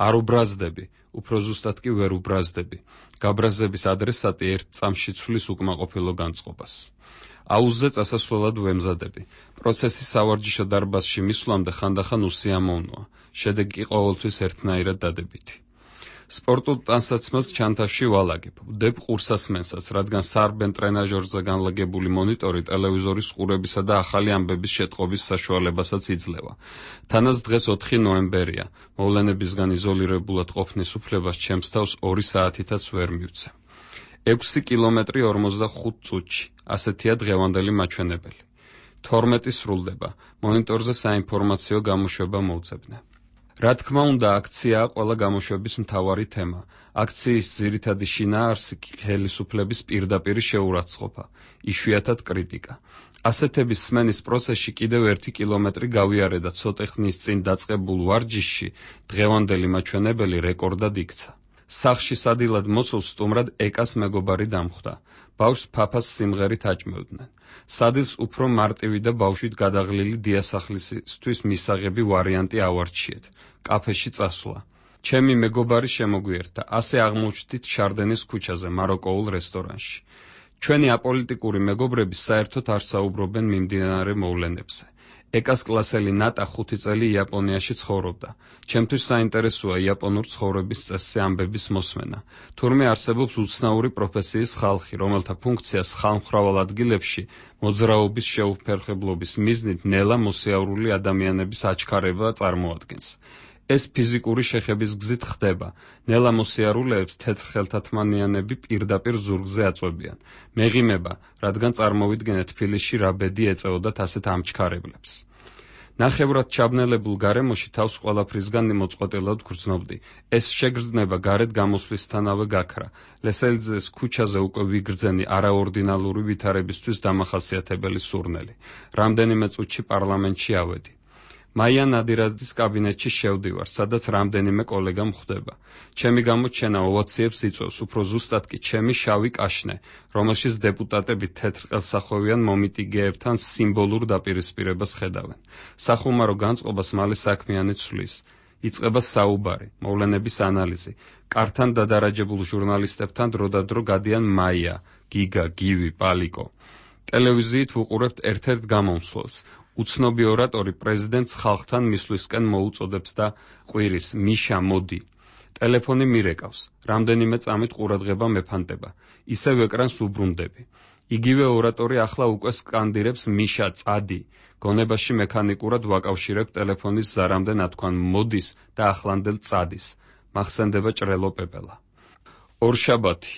Speaker 4: არ უბრაზდები, უფრო ზუსტად კი ვერ უბრაზდები. გაბრაზების ადრესატი ერთ წამში ცვლის უკმაყოფილო განწყობას. აუზზე წასასვლელად ვემზადები. პროცესი სავარჯიშო დარბაზში მისვლამდე ხანდახან უსიამოვნოა. შედეგი კი ყოველთვის ერთნაირად დადებითი. სპორტულ ტანსაცმელს ჩანთაში ვალაგებ. ვდებ ყურსასმენსაც, რადგან სარბენ ტრენაჟორზე განლაგებული მონიტორი ტელევიზორის ყურებისა და ახალი ამბების შეტყობის საშუალებასაც იძლევა. თანაც დღეს 4 ნოემბერია. მოვლენებისგან იზოლირებულად ყოფნის უფლებას ჩემს თავს 2 საათითაც ვერ მივცე. 6 კილომეტრი 45 წუთში. ასეთია დღევანდელი მაჩვენებელი. 12 სრულდება. მონიტორზე საინფორმაციო გამოშვება მოვძებნე. რა თქმა უნდა, აქციაა ყველა გამოშვების მთავარი თემა. აქციის ძირითადი შინაარსი ხელისუფლების პირდაპირი შეურაცხყოფა, იშვიათად კრიტიკა. ასეთების სმენის პროცესში კიდევ 1 კილომეტრი გავიარე და ცოტა ხნის წინ დაწყებულ ვარჯიშში დღევანდელი მაჩვენებელი რეკორდად იქცა. სახლში სადილად მოსულ სტუმრად ეკას მეგობარი დამხვდა. ბავშვს ფაფას სიმღერით აჭმევდნენ. სადილს უფრო მარტივი და ბავშვით გადაღლილი დიასახლისისთვის მისაღები ვარიანტი ავარჩიეთ. კაფეში წასვლა. ჩემი მეგობარი შემოგვიერთა. ასე აღმოჩნდით შარდენის ქუჩაზე, მაროკოულ რესტორანში. ჩვენი აპოლიტიკური მეგობრები საერთოდ არ საუბრობენ მიმდინარე მოვლენებზე. ეკას კლასელი ნატა 5 წელი იაპონიაში ცხოვრობდა. ჩემთვის საინტერესოა იაპონურ ცხოვრების წესზე ამბების მოსმენა. თურმე არსებობს უცნაური პროფესიის ხალხი, რომელთა ფუნქციას ხალხმრავალ ადგილებში მოძრაობის შეუფერხებლობის მიზნით ნელა მოსიავრული ადამიანების აჩქარება წარმოადგენს. ეს ფიზიკური შეხების გზით ხდება. ნელა მოსიარულეებს თეთრხელთათმანიანები პირდაპირ ზურგზე აწვევიან. მეღიმება, რადგან წარმოვიდგენთ თბილისში რა ბედი ეწეოდათ ასეთ ამჩქარებლებს. ნახევრად ჩაბნელებულ გარემოში თავს ყველაფრისგან მოწყვეტილად გრძნობდი. ეს შეგრძნება გარეთ გამოსვლისთანავე გაქრა. ლესელიძეს ქუჩაზე უკვე ვიგრძენი არაორდინალური ვითარებისთვის დამახასიათებელი სურნელი. რამდენიმე წუთში პარლამენტში ავედი. მაია ნადირაძის კაბინეტში შევდივარ, სადაც რამდენიმე კოლეგა მხვდება. ჩემი გამოჩენა ოვაციებს იწვევს, უფრო ზუსტად კი ჩემი შავი კაშნე, რომელშიც დეპუტატები თეთრყელსახოვიან მომიტიგეებთან სიმბოლურ დაპირისპირებას ხედავენ. სახუმარო განწყობას მალე საქმიანი ცვლის. იწყება საუბარი, მოვლენების ანალიზი. კართან დადარაჯებულ ჟურნალისტებთან დროდადრო გადიან მაია, გიგა, გივი, პალიკო. ტელევიზიით ვუყურებთ ერთ-ერთ გამომსვლელს. უცნობი ორატორი პრეზიდენტს ხალხთან მისვლისკენ მოუწოდებს და ყვირის მიშა მოდი. ტელეფონი მირეკავს. რამდენიმე წამით ყურადღება მეფანტება. ისევ ეკრანს უბრუნდები. იგივე ორატორი ახლა უკვე სკანდირებს მიშა წადი. გონებაში მექანიკურად ვაკავშირებ ტელეფონის ზარამდე ნათქვამ მოდის და ახლანდელ წადის. მახსენდება ჭრელო პეპელა. ორშაბათი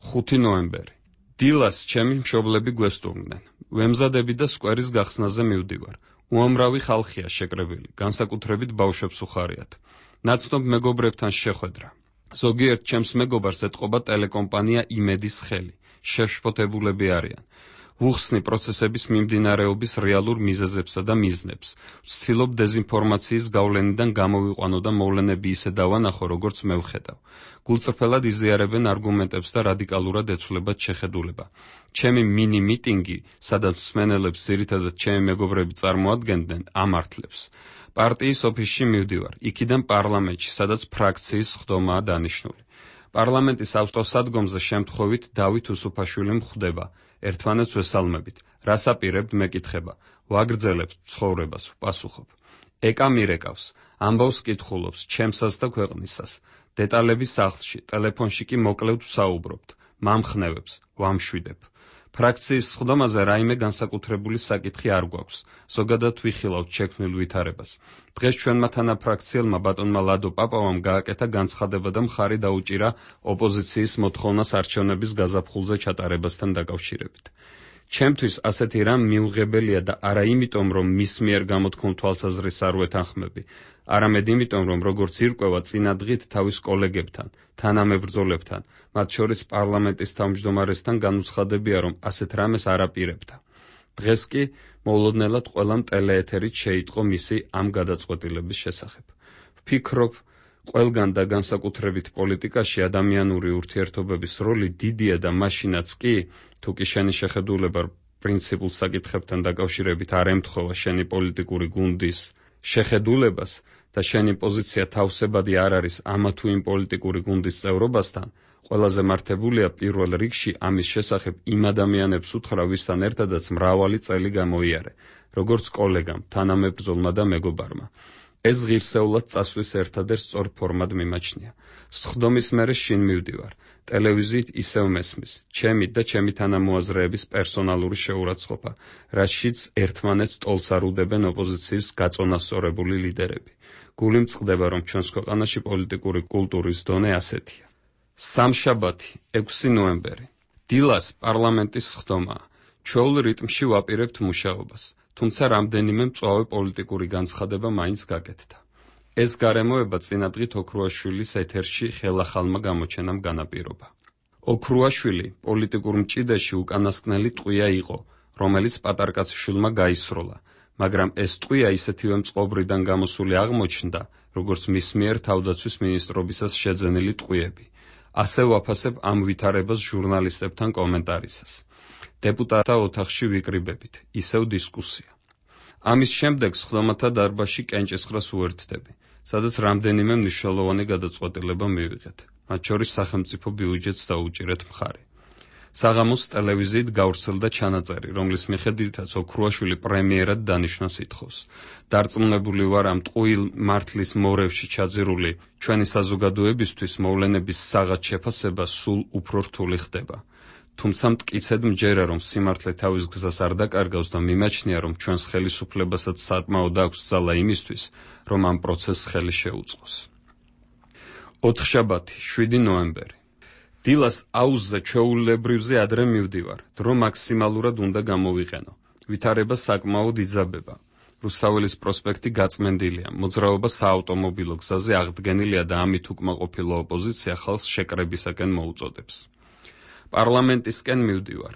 Speaker 4: 5 ნოემბერი. დილას ჩემი მშობლები გვესტუმრნენ. ვემზადები და სკვერის გახსნაზე მივდივარ. უამრავი ხალხია შეკრებილი, განსაკუთრებით ბავშვებს უხარიათ. ნაცნობ მეგობრებთან შეხვედრა. ზოგიერთ ჩემს მეგობარს ეთყობა ტელეკომპანია იმედის ხელი. შეშფოთებულები არიან. ვუხსნი პროცესების მიმდინარეობის რეალურ მიზეზებსა და მიზნებს. ვცდილობ დეზინფორმაციის გავლენიდან გამოვიყვანო და მოვლენები ისე დავანახო, როგორც მე ვხედავ. გულწრფელად იზიარებენ არგუმენტებს და რადიკალურად ეცვლებათ შეხედულება. ჩემი მინი მიტინგი, სადაც მსმენელებს ძირითადად ჩემი მეგობრები წარმოადგენდნენ, ამართლებს. პარტიის ოფისში მივდივარ, იქიდან პარლამენტში, სადაც ფრაქციის სხდომაა დანიშნული. პარლამენტის ავტოსადგომზე შემთხვევით დავით უსუფაშვილი მხვდება. ერთმანეთს ვესალმებით. რას აპირებთ მეკითხება. ვაგრძელებთ ცხოვრებას, ვპასუხობ. ეკა მირეკავს, ამბავს კითხულობს, ჩემსას და ქვეყნისას. დეტალები სახლში, ტელეფონში კი მოკლედ ვსაუბრობთ. მამხნევებს, ვამშვიდებ. ფრაქციის სხდომაზე რაიმე განსაკუთრებული საკითხი არ გვაქვს. ზოგადად ვიხილავთ შექმნილ ვითარებას. დღეს ჩვენმა თანაფრაქციელმა ბატონმა ლადო პაპავამ გააკეთა განცხადება და მხარი დაუჭირა ოპოზიციის მოთხოვნას არჩევნების გაზაფხულზე ჩატარებასთან დაკავშირებით. ჩემთვის ასეთი რამ მიუღებელია და არა იმიტომ, რომ მის მიერ გამოთქმულ თვალსაზრისს არ ვეთანხმები, არამედ იმიტომ, რომ როგორც ირკვევა წინა დღით თავის კოლეგებთან, თანამებრძოლებთან, მათ შორის პარლამენტის თავმჯდომარესთან განუცხადებია, რომ ასეთ რამეს არ აპირებდა. დღეს კი მოულოდნელად ყველამ ტელეეთერით შეიტყო მისი ამ გადაწყვეტილების შესახებ. ვფიქრობ, ყველგან და განსაკუთრებით პოლიტიკაში ადამიანური ურთიერთობების როლი დიდია და მაშინაც კი, თუ კი შენი შეხედულება პრინციპულ საკითხებთან დაკავშირებით არ ემთხოვა შენი პოლიტიკური გუნდის შეხედულებას და შენი პოზიცია თავსებადი არ არის ამა თუ იმ პოლიტიკური გუნდის წევრობასთან, ყველაზე მართებულია პირველ რიგში ამის შესახებ იმ ადამიანებს უთხრა, ვისთან ერთადაც მრავალი წელი გამოიარე, როგორც კოლეგამ, თანამებრძოლმა და მეგობარმა. ეს ღირსეულად წასვლის ერთადერთ სწორ ფორმად მიმაჩნია. სხდომის მერე შინ მივდივარ. ტელევიზიით ისევ მესმის, ჩემი და ჩემი თანამოაზრეების პერსონალური შეურაცხყოფა, რაშიც ერთმანეთს ტოლს არ უდებენ ოპოზიციის გაწონასწორებული ლიდერები. გული მწყდება, რომ ჩვენს ქვეყანაში პოლიტიკური კულტურის დონე ასეთია. სამშაბათი, 6 ნოემბერი. დილას პარლამენტის სხდომაა. ჩვეულ რიტმში ვაპირებთ მუშაობას, თუმცა რამდენიმე მწვავე პოლიტიკური განცხადება მაინც გაკეთდა. ეს გარემოება წინადღით ოქრუაშვილის ეთერში ხელახალმა გამოჩენამ განაპირობა. ოქრუაშვილი პოლიტიკურ მჭიდაში უკანასკნელი ტყვია იყო, რომელიც პატარკაცშვილმა გაისროლა, მაგრამ ეს ტყვია ისეთივე მწყობრიდან გამოსული აღმოჩნდა, როგორც მის მიერ თავდაცვის მინისტრობისას შეძენილი ტყვიები. ასე ვაფასებ ამ ვითარებას ჟურნალისტებთან კომენტარისას. დეპუტატთა ოთახში ვიკრიბებით, ისევ დისკუსია. ამის შემდეგ სხდომათა დარბაზში კენჭისყრას უერთდები, სადაც რამდენიმე მნიშვნელოვანი გადაწყვეტილება მივიღეთ, მათ შორის სახელმწიფო ბიუჯეტს დაუჭირეთ მხარი. საღამოს ტელევიზიით გავრცელდა ჩანაწერი, რომლის მიხედვითაც ოქრუაშვილი პრემიერად დანიშვნას ითხოვს. დარწმუნებული ვარ, ამ ტყუილ მართლის მორევში ჩაძირული ჩვენი საზოგადოებისთვის მოვლენების საღად შეფასება სულ უფრო რთული ხდება. თუმცა მტკიცედ მჯერა, რომ სიმართლე თავის გზას არ დაკარგავს და მიმაჩნია, რომ ჩვენს ხელისუფლებასაც საკმაოდ აქვს ძალა იმისთვის, რომ ამ პროცესს ხელი შეუწყოს. ოთხშაბათი, 7 ნოემბერი. დილას აუზზე ჩვეულებრივზე ადრე მივდივარ, დრო მაქსიმალურად უნდა გამოვიყენო. ვითარება საკმაოდ იძაბება. რუსთაველის პროსპექტი გაწმენდილია, მოძრაობა საავტომობილო გზაზე აღდგენილია და ამით უკმაყოფილო ოპოზიცია ხალხს შეკრებისაკენ მოუწოდებს. პარლამენტისკენ მივდივარ.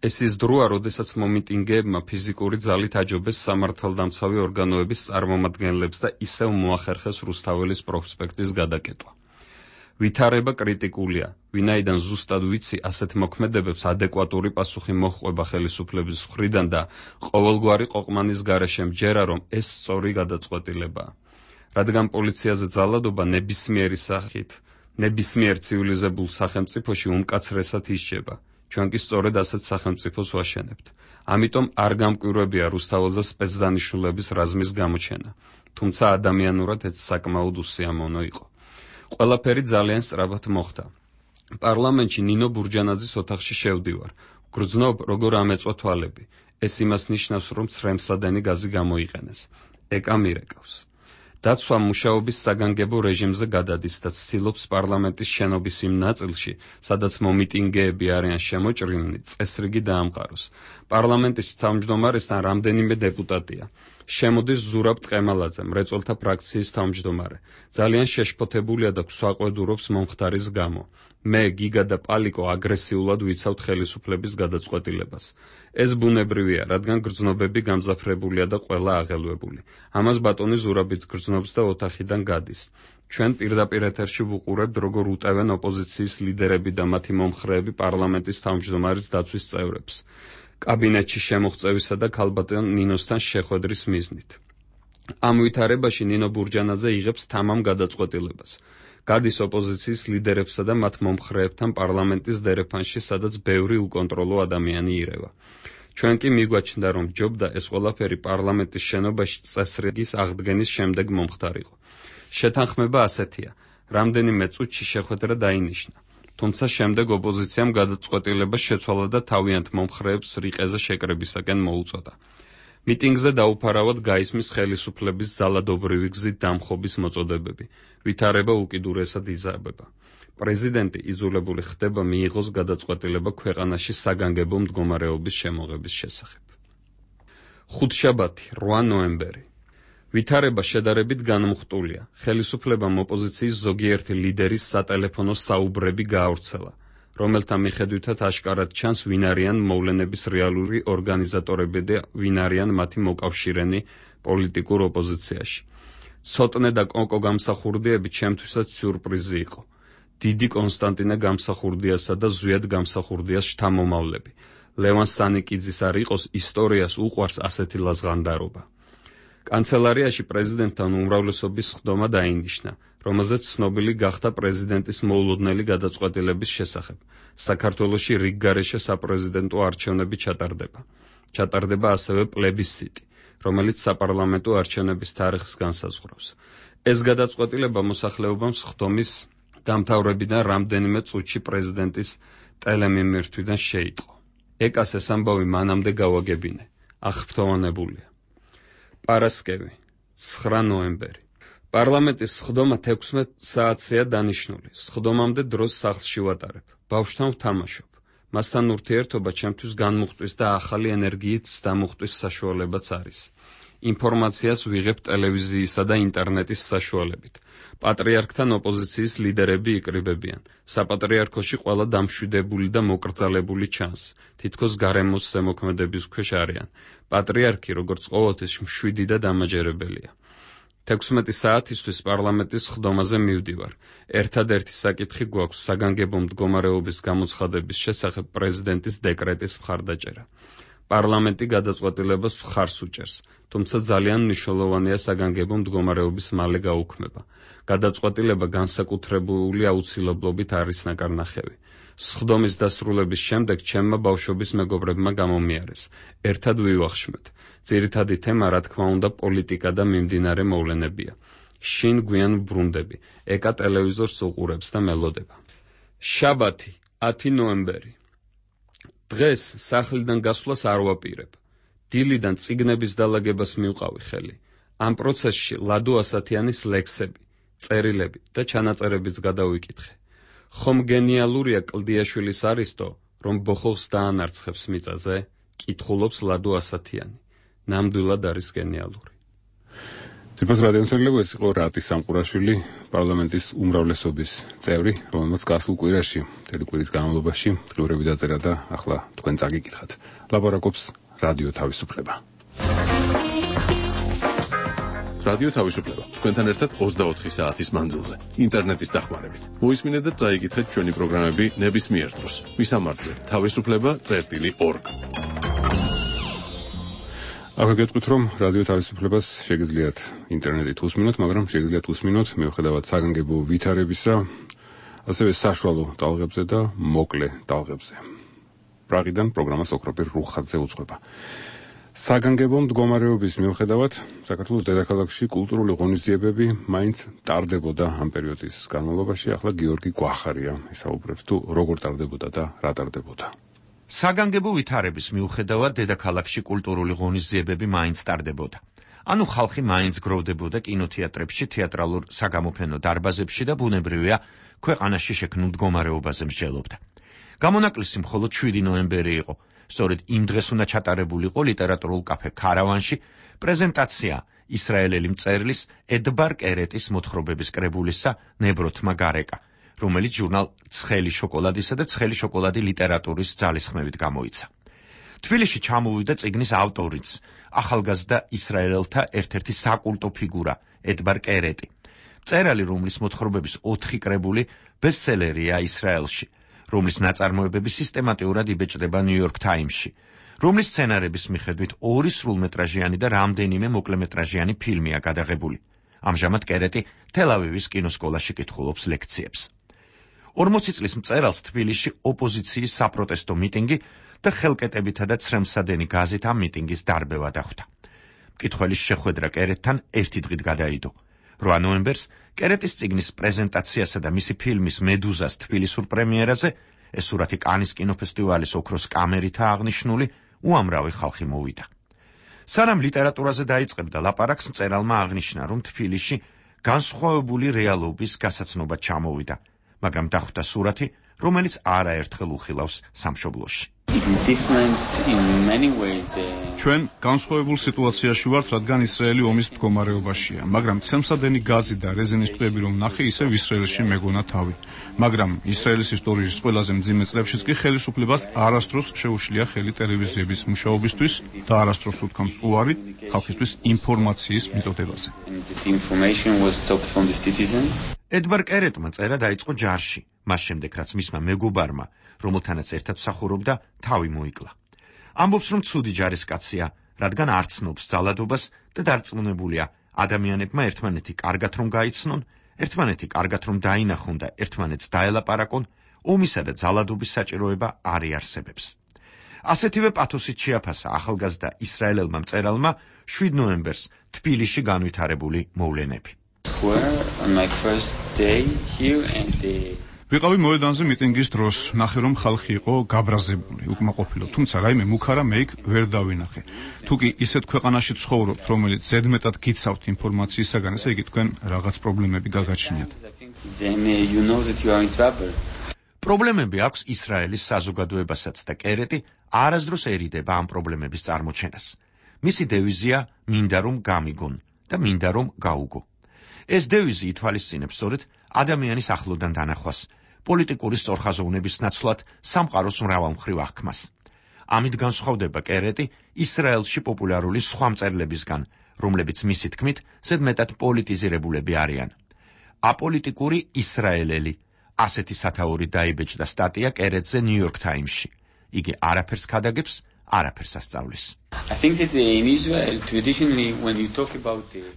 Speaker 4: ეს ის დროა, როდესაც მომიტინგეებმა ფიზიკური ძალით აჯობეს სამართალდამცავი ორგანოების წარმომადგენლებს და ისევ მოახერხეს რუსთაველის პროსპექტის გადაკეტვა. ვითარება კრიტიკულია, ვინაიდან ზუსტად ვიცი ასეთ მოქმედებებს ადეკვატური პასუხი მოჰყვება ხელისუფლების მხრიდან და ყოველგვარი ყოყმანის გარეშე მჯერა, რომ ეს სწორი გადაწყვეტილებაა. რადგან პოლიციაზე ძალადობა ნებისმიერი სახით, ნებისმიერ ცივილიზებულ სახელმწიფოში უმკაცრესად ისჯება. ჩვენ კი სწორედ ასეთ სახელმწიფოს ვაშენებთ. ამიტომ არ გამკვირვებია რუსთაველზე სპეცდანიშნულების რაზმის გამოჩენა, თუმცა ადამიანურად ეს საკმაოდ უსიამოვნო იყო. ყველაფერი ძალიან სწრაფად მოხდა. პარლამენტში ნინო ბურჯანაძის ოთახში შევდივარ. გრძნობ, როგორ ამეწვა თვალები. ეს იმას ნიშნავს, რომ ცრემსადენი გაზი გამოიყენეს. ეკა მირეკავს. დაცვა მუშაობის საგანგებო რეჟიმზე გადადის და ცდილობს პარლამენტის შენობის იმ ნაწილში, სადაც მომიტინგეები არიან შემოჭრილნი, წესრიგი დაამყაროს. პარლამენტის თავმჯდომარესთან რამდენიმე დეპუტატია. შემოდის ზურაბ ტყემალაძე, მრეწველთა ფრაქციის თავმჯდომარე. ძალიან შეშფოთებულია და გვსაყვედურობს მომხდარის გამო. მე, გიგა და პალიკო აგრესიულად ვიცავთ ხელისუფლების გადაწყვეტილებას. ეს ბუნებრივია, რადგან გრძნობები გამძაფრებულია და ყველა აღელვებული. ამას ბატონი ზურაბიც გრძნობს და ოთახიდან გადის. ჩვენ პირდაპირ ეთერში ვუყურებთ, როგორ უტევენ ოპოზიციის ლიდერები და მათი მომხრეები პარლამენტის თავმჯდომარის დაცვის წევრებს. კაბინეტში შემოღწევისა და ქალბატონ ნინოსთან შეხვედრის მიზნით. ამ ვითარებაში ნინო ბურჯანაძე იღებს თამამ გადაწყვეტილებას. გადის ოპოზიციის ლიდერებსა და მათ მომხრეებთან პარლამენტის დერეფანში, სადაც ბევრი უკონტროლო ადამიანი ირევა. ჩვენ კი მიგვაჩნდა, რომ ჯობდა ეს ყველაფერი პარლამენტის შენობაში წესრიგის აღდგენის შემდეგ მომხდარიყო. შეთანხმება ასეთია: რამდენიმე წუთში შეხვედრა დაინიშნა. თუმცა შემდეგ ოპოზიციამ გადაწყვეტილება შეცვალა და თავიანთ მომხრეებს რიყეზე შეკრებისაკენ მოუწოდა. მიტინგზე დაუფარავად გაისმის ხელისუფლების ძალადობრივი გზით დამხობის მოწოდებები. ვითარება უკიდურესად იზრდება. პრეზიდენტი იძულებული ხდება მიიღოს გადაწყვეტილება ქვეყანაში საგანგებო მდგომარეობის შემოღების შესახებ. ხუთშაბათი, 8 ნოემბერი. ვითარება შედარებით განმხტულია. ხელისუფლებამ ოპოზიციის ზოგიერთი ლიდერის სატელეფონო საუბრები გაავრცელა, რომელთა მიხედვითაც აშკარად ჩანს, ვინ არიან მოვლენების რეალური ორგანიზატორები და ვინ არიან მათი მოკავშირენი პოლიტიკურ ოპოზიციაში. ცოტნე და კონკო გამსახურდიები ჩემთვისაც სიურპრიზი იყო. დიდი კონსტანტინე გამსახურდიასა და ზვიად გამსახურდიას შთამომავლები. ლევან სანიკიძის არ იყოს, ისტორიას უყვარს ასეთი ლაზღანდარობა. კანცელარიაში პრეზიდენტთან უმრავლესობის სხდომა დაინიშნა, რომელზეც ცნობილი გახდა პრეზიდენტის მოულოდნელი გადაწყვეტილების შესახებ. საქართველოში რიგგარეშე საპრეზიდენტო არჩევნები ჩატარდება. ჩატარდება ასევე პლებისციტი, რომელიც საპარლამენტო არჩევნების თარიღს განსაზღვრავს. ეს გადაწყვეტილება მოსახლეობამ სხდომის დამთავრებიდან რამდენიმე წუთში პრეზიდენტის ტელემიმირთვიდან შეიტყო. ეკას ეს ამბავი მანამდე გავაგებინე. აღფრთოვანებულია. პარასკევი, 9 ნოემბერი. პარლამენტის სხდომა 16 საათზეა დანიშნული. სხდომამდე დროს სახლში ვატარებ. ბავშვთან ვთამაშობ. მასთან ურთიერთობა ჩემთვის განმუხტვის და ახალი ენერგიით დამუხტვის საშუალებაც არის. ინფორმაციას ვიღებ ტელევიზიისა და ინტერნეტის საშუალებით. პატრიარქთან ოპოზიციის ლიდერები იკრიბებიან. საპატრიარქოში ყველა დამშვიდებული და მოკრძალებული ჩანს. თითქოს გარემოს ზემოქმედების ქვეშ არიან. პატრიარქი, როგორც ყოველთვის, მშვიდი და დამაჯერებელია. 16 საათისთვის პარლამენტის სხდომაზე მივდივარ. ერთადერთი საკითხი გვაქვს საგანგებო მდგომარეობის გამოცხადების შესახებ პრეზიდენტის დეკრეტის მხარდაჭერა. პარლამენტი გადაწყვეტილებას მხარს უჭერს, თუმცა ძალიან მნიშვნელოვანია საგანგებო მდგომარეობის მალე გაუქმება. გადაწყვეტილება განსაკუთრებული აუცილებლობით არის ნაკარნახევი. სხდომის დასრულების შემდეგ ჩემმა ბავშვობის მეგობრებმა გამომიარეს. ერთად ვივახშმეთ. ძირითადი თემა, რა თქმა უნდა, პოლიტიკა და მიმდინარე მოვლენებია. შინ გვიან ბრუნდები. ეკა ტელევიზორს უყურებს და მელოდება. შაბათი, 10 ნოემბერი. დღეს სახლიდან გასვლას არ ვაპირებ. დილიდან წიგნების დალაგებას მივყავი ხელი. ამ პროცესში ლადო ასათიანის ლექსები, წერილები და ჩანაწერებიც გადავიკითხე. ხომ გენიალურია კლდიაშვილის არისტო, რომ ბოხობს დაანარცხებს მიწაზე? კითხულობს ლადო ასათიანი. ნამდვილად არის გენიალური.
Speaker 1: თვითონ რადიოსმენელები, ეს იყო რატი სამყურაშვილი, პარლამენტის უმრავლესობის წევრი, რომელმაც გასულ კვირაში, მთელი კვირის განმავლობაში დღიურები დაწერა და ახლა თქვენ წაგიკითხათ. ლაბორაკობს რადიო თავისუფლება.
Speaker 2: რადიო თავისუფლება. თქვენთან ერთად 24 საათის მანძილზე, ინტერნეტის დახმარებით. მოისმინეთ და წაიკითხეთ ჩვენი პროგრამები ნებისმიერ დროს. მისამართზე: თავისუფლება.org.
Speaker 1: ახლა გეტყვით, რომ რადიო თავისუფლებას შეგიძლიათ ინტერნეტით უსმინოთ, მაგრამ შეგიძლიათ უსმინოთ მიუხედავად საგანგებო ვითარებისა, ასევე საშუალო ტალღებზე და მოკლე ტალღებზე. პრაღიდან პროგრამას ოქროპირ რუხაძე უძღვება. საგანგებო მდგომარეობის მიუხედავად, საქართველოს დედაქალაქში კულტურული ღონისძიებები მაინც ტარდებოდა ამ პერიოდის განმავლობაში. ახლა გიორგი გვახარია ისაუბრებს თუ როგორ ტარდებოდა და რა ტარდებოდა.
Speaker 11: საგანგებო ვითარების მიუხედავად დედაქალაქში კულტურული ღონისძიებები მაინც ტარდებოდა. ანუ ხალხი მაინც გროვდებოდა კინოთეატრებში, თეატრალურ საგამოფენო დარბაზებში და ბუნებრივია, ქვეყანაში შექმნილ მდგომარეობაზე მსჯელობდა. გამონაკლისი მხოლოდ 7 ნოემბერი იყო. სწორედ იმ დღეს უნდა ჩატარებულიყო ლიტერატურულ კაფე ქარავანში პრეზენტაცია ისრაელელი მწერლის ედბარ კერეტის მოთხრობების კრებულისა ნებროთმა გარეკა, რომელიც ჟურნალ ცხელი შოკოლადისა და ცხელი შოკოლადი ლიტერატურის ძალისხმევით გამოიცა. თბილისში ჩამოვიდა წიგნის ავტორიც, ახალგაზრდა ისრაელელთა ერთ-ერთი საკულტო ფიგურა ედბარ კერეტი. მწერალი, რომლის მოთხრობების 4 კრებული ბესტსელერია ისრაელში, რომლის ნაწარმოებები სისტემატურად იბეჭდება ნიუ-იორკ ტაიმსში, რომლის სცენარების მიხედვით 2 სრულმეტრაჟიანი და რამდენიმე მოკლემეტრაჟიანი ფილმია გადაღებული. ამჟამად კერეტი თელ-ავივის კინოსკოლაში კითხულობს ლექციებს. 40 წლის მწერალს თბილისში ოპოზიციის საპროტესტო მიტინგი და ხელკეტებითა და ცრემლსადენი გაზით ამ მიტინგის დარბევა დახვდა. მკითხველის შეხვედრა კერეტთან 1 დღით გადაიდო. 8 ნოემბერს კერეტის წიგნის პრეზენტაციასა და მისი ფილმის მედუზას თბილისურ პრემიერაზე, ეს სურათი კანის კინოფესტივალის ოქროს კამერითაა აღნიშნული, უამრავი ხალხი მოვიდა. სანამ ლიტერატურაზე დაიწყებდა ლაპარაკს, მწერალმა აღნიშნა, რომ თბილისში განსხვავებული რეალობის გასაცნობად ჩამოვიდა, მაგრამ დახვდა სურათი, რომელიც არაერთხელ უხილავს სამშობლოში.
Speaker 9: ჩვენ განსხვავებულ სიტუაციაში ვართ, რადგან ისრაელი ომის მდგომარეობაშია, მაგრამ ცემსადენი გაზი და რეზინის ტყეები რომ ნახე, ისევ ისრაელში მეგონა თავი. მაგრამ ისრაელის ისტორიის ყველაზე მძიმე წლებშიც კი ხელისუფლებას არასდროს შეუშლია ხელი ტელევიზიების მუშაობისთვის და არასდროს უთქვამს უარი ხალხისთვის ინფორმაციის მიტოდებაზე.
Speaker 11: ედბარ კერეტმა წერა დაიწყო ჯარში, მას შემდეგ რაც მისმა მეგობარმა, რომელთანაც ერთად მსახურობდა, თავი მოიკლა. ამბობს, რომ ცუდი ჯარისკაცია, რადგან არ ცნობს ძალადობას და დარწმუნებულია, ადამიანებმა ერთმანეთი კარგად რომ გაიცნონ, ერთმანეთი კარგად რომ დაინახონ და ერთმანეთს დაელაპარაკონ, ომისა და ძალადობის საჭიროება არ იარსებებს. ასეთივე პათოსით შეაფასა ახალგაზრდა ისრაელელმა მწერალმა 7 ნოემბერს თბილისში განვითარებული მოვლენები.
Speaker 9: ვიყავი მოედანზე მიტინგის დროს, ნახე რომ ხალხი იყო გაბრაზებული, უკმაყოფილო, თუმცა რაიმე მუქარა მე იქ ვერ დავინახე. თუ კი ისეთ ქვეყანაში ცხოვრობთ, რომელიც ზედმეტად გიცავთ ინფორმაციისაგან, ესე იგი თქვენ რაღაც პრობლემები გაგაჩნიათ.
Speaker 11: პრობლემები აქვს ისრაელის საზოგადოებასაც და კერეტი არასდროს ერიდება ამ პრობლემების წარმოჩენას. მისი დევიზია მინდა რომ გამიგონ და მინდა რომ გაუგო. ეს დევიზი ითვალისწინებს სწორედ ადამიანის ახლოდან დანახვას, პოლიტიკური სწორხაზოვნების ნაცვლად სამყაროს მრავალმხრივ აღქმას. ამით განსხვავდება კერეტი ისრაელში პოპულარული სხვა მწერლებისგან, რომლებიც მისი თქმით ზედმეტად პოლიტიზირებულები არიან. აპოლიტიკური ისრაელელი, ასეთი სათაური დაიბეჭდა სტატია კერეტზე ნიუ-იორკ ტაიმსში. იგი არაფერს ქადაგებს, არაფერს ასწავლის.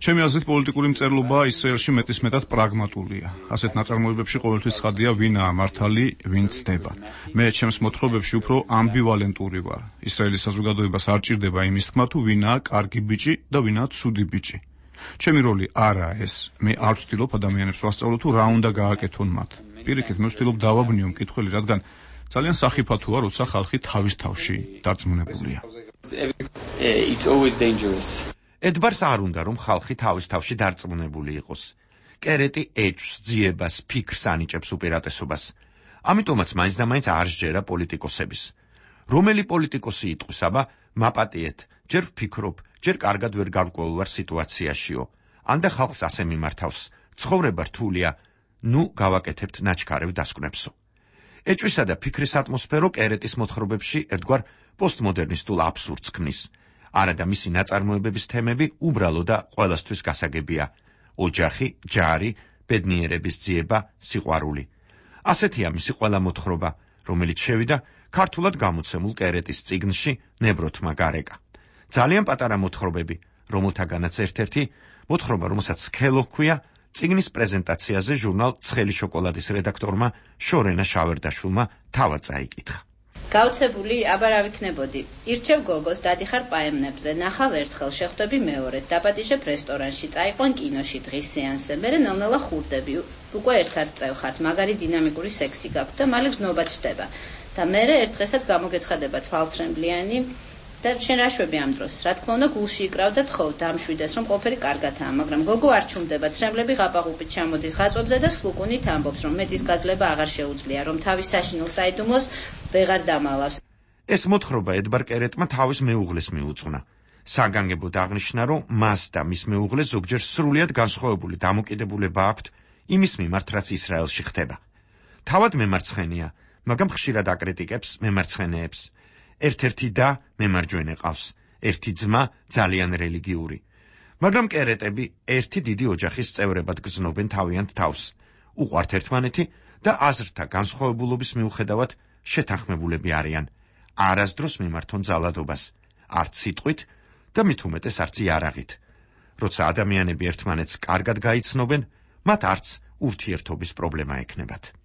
Speaker 9: ჩემი აზრით პოლიტიკური მწერლობა ისრაელში მეტისმეტად პრაგმატულია. ასეთ ნაწარმოებებში ყოველთვის ცხადია ვინაა მართალი, ვინ ცდება. მე ჩემს მოთხრობებში უფრო ამბივალენტური ვარ. ისრაელის საზოგადოებას არ ჭირდება იმის თქმა, თუ ვინაა კარგი ბიჭი და ვინაა ცუდი ბიჭი. ჩემი როლი არაა ეს. მე არ ვცდილობ ადამიანებს ვასწავლო თუ რა უნდა გააკეთონ მათ. პირიქით, მე ვცდილობ დავაბნიო მკითხველი, რადგან ძალიან სახიფათოა, როცა ხალხი თავის თავში დარწმუნებულია.
Speaker 11: ედბარს არ უნდა, რომ ხალხი თავის თავში დარწმუნებული იყოს. კერეტი ეჭვს, ძიებას, ფიქრს ანიჭებს უპირატესობას. ამიტომაც მაინც და მაინც არ სჯერა პოლიტიკოსების. რომელი პოლიტიკოსი იტყვის, აბა, მაპატიეთ, ჯერ ვფიქრობ, ჯერ კარგად ვერ გავკვეულვარ სიტუაციაშიო. ანდა ხალხს ასე მიმართავს, ცხოვრება რთულია, ნუ გავაკეთებთ ნაჩქარევ დასკვნებსო. ეჭვისა და ფიქრის ატმოსფერო კერეტის მოთხრობებში ერთგვარ პოსტმოდერნისტულ აბსურდს ქმნის. არადა მისი ნაწარმოებების თემები უბრალო და ყველასთვის გასაგებია. ოჯახი, ჯარი, ბედნიერების ძიება, სიყვარული. ასეთია მისი ყველა მოთხრობა, რომელიც შევიდა ქართულად გამოცემულ კერეტის წიგნში ნებროთმა გარეკა. ძალიან პატარა მოთხრობები, რომელთაგანაც ერთ-ერთი მოთხრობა, რომელსაც სქელო ჰქვია, წიგნის პრეზენტაციაზე ჟურნალ ცხელი შოკოლადის რედაქტორმა შორენა შავერდაშვილმა თავად წაიკითხა.
Speaker 12: გაუცებული აბარ ავიქნებოდი. ირჩევ გოგოს, დადიხარ პაემნებზე, ნახავ ერთხელ, შეხვდები მეორედ, დაპატიჟებ რესტორანში, წაიყვან კინოში დღის სეანსზე, მერე ნელ-ნელა ხურდები, უკვე ერთად წევხართ, მაგარი დინამიკური სექსი გაქვთ და მალე გზნობა ჩდება. და მერე ერთ დღესაც გამოგეცხადება თვალცრემლიანი და შენ რა შვები ამ დროს? რა თქმა უნდა, გულში იკრავდა თხოვ დამშვიდეს, რომ ყველაფერი კარგადაა, მაგრამ გოგო არ ჩუმდება, ცრემლები ღაპაღუპით ჩამოდის ღაწვებზე და სლუკუნით ამბობს, რომ მეტის გაძლება აღარ შეუძლია, რომ თავის საშინელ საიდუმლოს ვეღარ დამალავს.
Speaker 11: ეს მოთხრობა ედბარ კერეტმა თავის მეუღლეს მიუძღვნა. საგანგებოდ აღნიშნა, რომ მას და მის მეუღლეს ზოგჯერ სრულიად განსხვავებული დამოკიდებულება აქვთ იმის მიმართ, რაც ისრაელში ხდება. თავად მემარცხენეა, მაგრამ ხშირად აკრიტიკებს მემარცხენეებს. ერთ-ერთი და მემარჯვენე ყავს, ერთი ძმა ძალიან რელიგიური. მაგრამ კერეტები ერთი დიდი ოჯახის წევრებად გრძნობენ თავიანთ თავს. უყვართ ერთმანეთი და აზრთა განსხვავებულობის მიუხედავად შეთანხმებულები არიან. არასდროს მიმართონ ძალადობას, არც სიტყვით და მით უმეტეს არც იარაღით. როცა ადამიანები ერთმანეთს კარგად გაიცნობენ, მათ არც ურთიერთობის პრობლემა ექნებათ.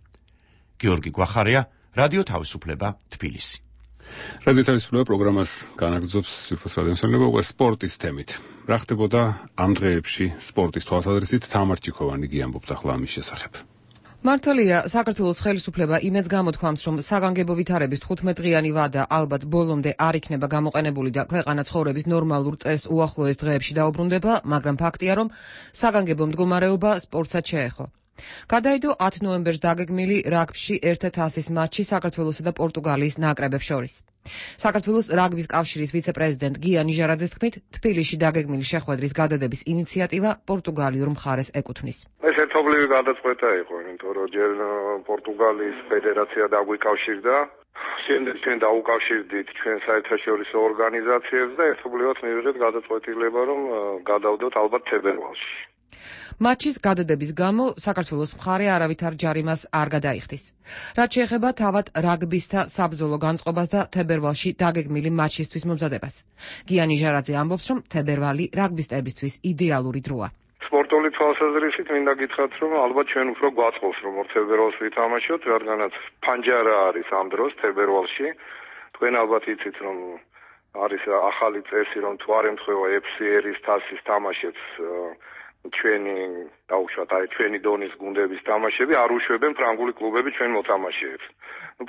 Speaker 11: გიორგი გვახარია, რადიო თავისუფლება, თბილისი.
Speaker 1: რადიო თავისუფლება პროგრამას განაგრძობს სირფოს რადიოსმენელობა უკვე სპორტის თემით. რა ხდებოდა ამ დღეებში სპორტის თვალსაზრისით? თამარ ჩიქოვანი გიამბობს ახლა ამის შესახებ.
Speaker 6: მართალია, საქართველოს ხელისუფლება იმედს გამოთქვამს, რომ საგანგებო ვითარების 15-დღიანი ვადა ალბათ ბოლომდე არ იქნება გამოყენებული და ქვეყანა ცხოვრების ნორმალურ წესს უახლოეს დღეებში დაუბრუნდება, მაგრამ ფაქტია, რომ საგანგებო მდგომარეობა სპორტსაც შეეხო. გადაიდო 10 ნოემბერს დაგეგმილი რაგბიში 1-100-ის მატჩი საქართველოსა და პორტუგალიის ნაკრებებს შორის. საქართველოს რაგბის კავშირის ვიცე-პრეზიდენტ გია ნიჟარაძის თქმით, თბილისში დაგეგმილი შეხვედრის გადადების ინიციატივა პორტუგალიურ მხარეს ეკუთვნის.
Speaker 5: ეს ერთობლივი გადაწყვეტა იყო, იმიტომ რომ ჯერ პორტუგალიის ფედერაცია დაგვიკავშირდა, შემდეგ ჩვენ დაუკავშირდით ჩვენ საერთაშორისო ორგანიზაციებს და ერთობლივად მივიღეთ გადაწყვეტილება, რომ გადავდოთ ალბათ თებერვალში.
Speaker 6: მატჩის გადადების გამო საქართველოს მხარე არავითარ ჯარიმას არ გადაიხდის. რაც შეეხება თავად რაგბისთა საბრძოლო განწყობას და თებერვალში დაგეგმილი მატჩისთვის მომზადებას. გია ნიჟარაძე ამბობს, რომ თებერვალი რაგბისტებისთვის იდეალური დროა.
Speaker 5: სპორტული თვალსაზრისით მინდა გითხრათ, რომ ალბათ ჩვენ უფრო გვაწყობს, რომ თებერვალს ვითამაშოთ, რადგანაც ფანჯარა არის ამ დროს თებერვალში. თქვენ ალბათ იცით, რომ არის ახალი წესი, რომ თუ არ ემთხვევა FCR-ის თასის თამაშებს ჩვენი დაუშვათ, ჩვენი დონის გუნდების თამაშები არ უშვებენ ფრანგული კლუბები ჩვენ მოთამაშეებს.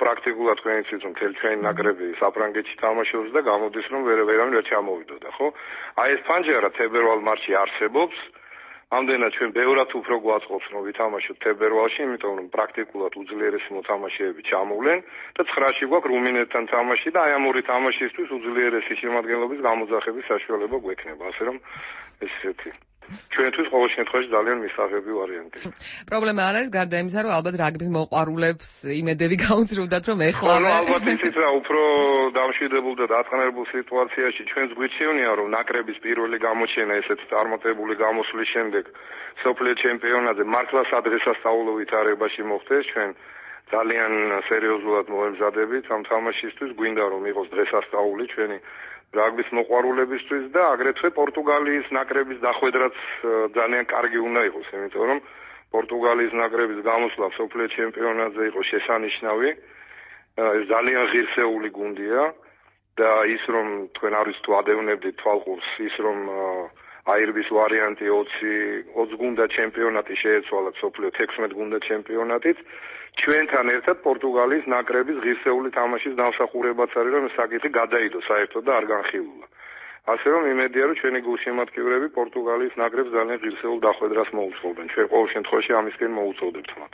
Speaker 5: პრაქტიკულად თქვენ იცით, რომ მთელი ჩვენი ნაკრები საფრანგეთში თამაშობს და გამოდის, რომ ვერავინ ვერ ჩამოვიდოდა, ხო? აი ეს ფანჯარა თებერვალ მატჩი არსებობს. ამდენად ჩვენ ბევრად უფრო გვაწყობს, რომ ვითამაშოთ თებერვალში, იმიტომ რომ პრაქტიკულად უძლიერესი მოთამაშეები ჩამოვლენ და 9-ში გვაქვს რუმინეთთან თამაში და აი ამ ორი თამაშისთვის უძლიერესი შემადგენლობის გამოძახების საშუალება გვექნება, ასე რომ ეს ესეთი ჩვენთვის ყოველ შემთხვევაში ძალიან მისაღები ვარიანტია.
Speaker 6: პრობლემა არ არის, გარდა იმისა, რომ ალბათ რაგბის მოყვარულებს იმედები გაუძრუნდათ, რომ ეხლა
Speaker 5: ალბათ იცით რა, უფრო დამშვიდებულ და დატყნარებულ სიტუაციაში ჩვენს გვიჩვენია, რომ ნაკრების პირველი გამოჩენა ესეთ წარმატებული გამოსვლის შემდეგ სოფლიო ჩემპიონატზე მართლა სადღესასწაულო ვითარებაში მოხდეს. ჩვენ ძალიან სერიოზულად მოემზადებით ამ თამაშისთვის, გვინდა რომ იყოს დღესასწაული ჩვენი რაგბის მოყვარულებისთვის და აგრეთვე პორტუგალიის ნაკრების დახვედრაც ძალიან კარგი უნდა იყოს, იმიტომ რომ პორტუგალიის ნაკრების გამოსვლა სოფლიო ჩემპიონატზე იყო შესანიშნავი. ეს ძალიან ღირსეული გუნდია და ის რომ თქვენ არის თუ ადევნებდით თვალყურს, ის რომ აირბის ვარიანტი 20 გუნდა ჩემპიონატი შეეცვალა სოფლიო 16 გუნდა ჩემპიონატით. ჩვენთან ერთად პორტუგალიის ნაკრების ღირსეული თამაშის დამსახურებაც არის, რომ საკითხი გადაიდო საერთოდ და არ განხილულა. ასე რომ იმედია, რომ ჩვენი გულშემატკივრები პორტუგალიის ნაკრებს ძალიან ღირსეულ დახვედრას მოუწყობენ. ჩვენ ყოველ შემთხვევაში ამისკენ მოუწოდებთ მათ.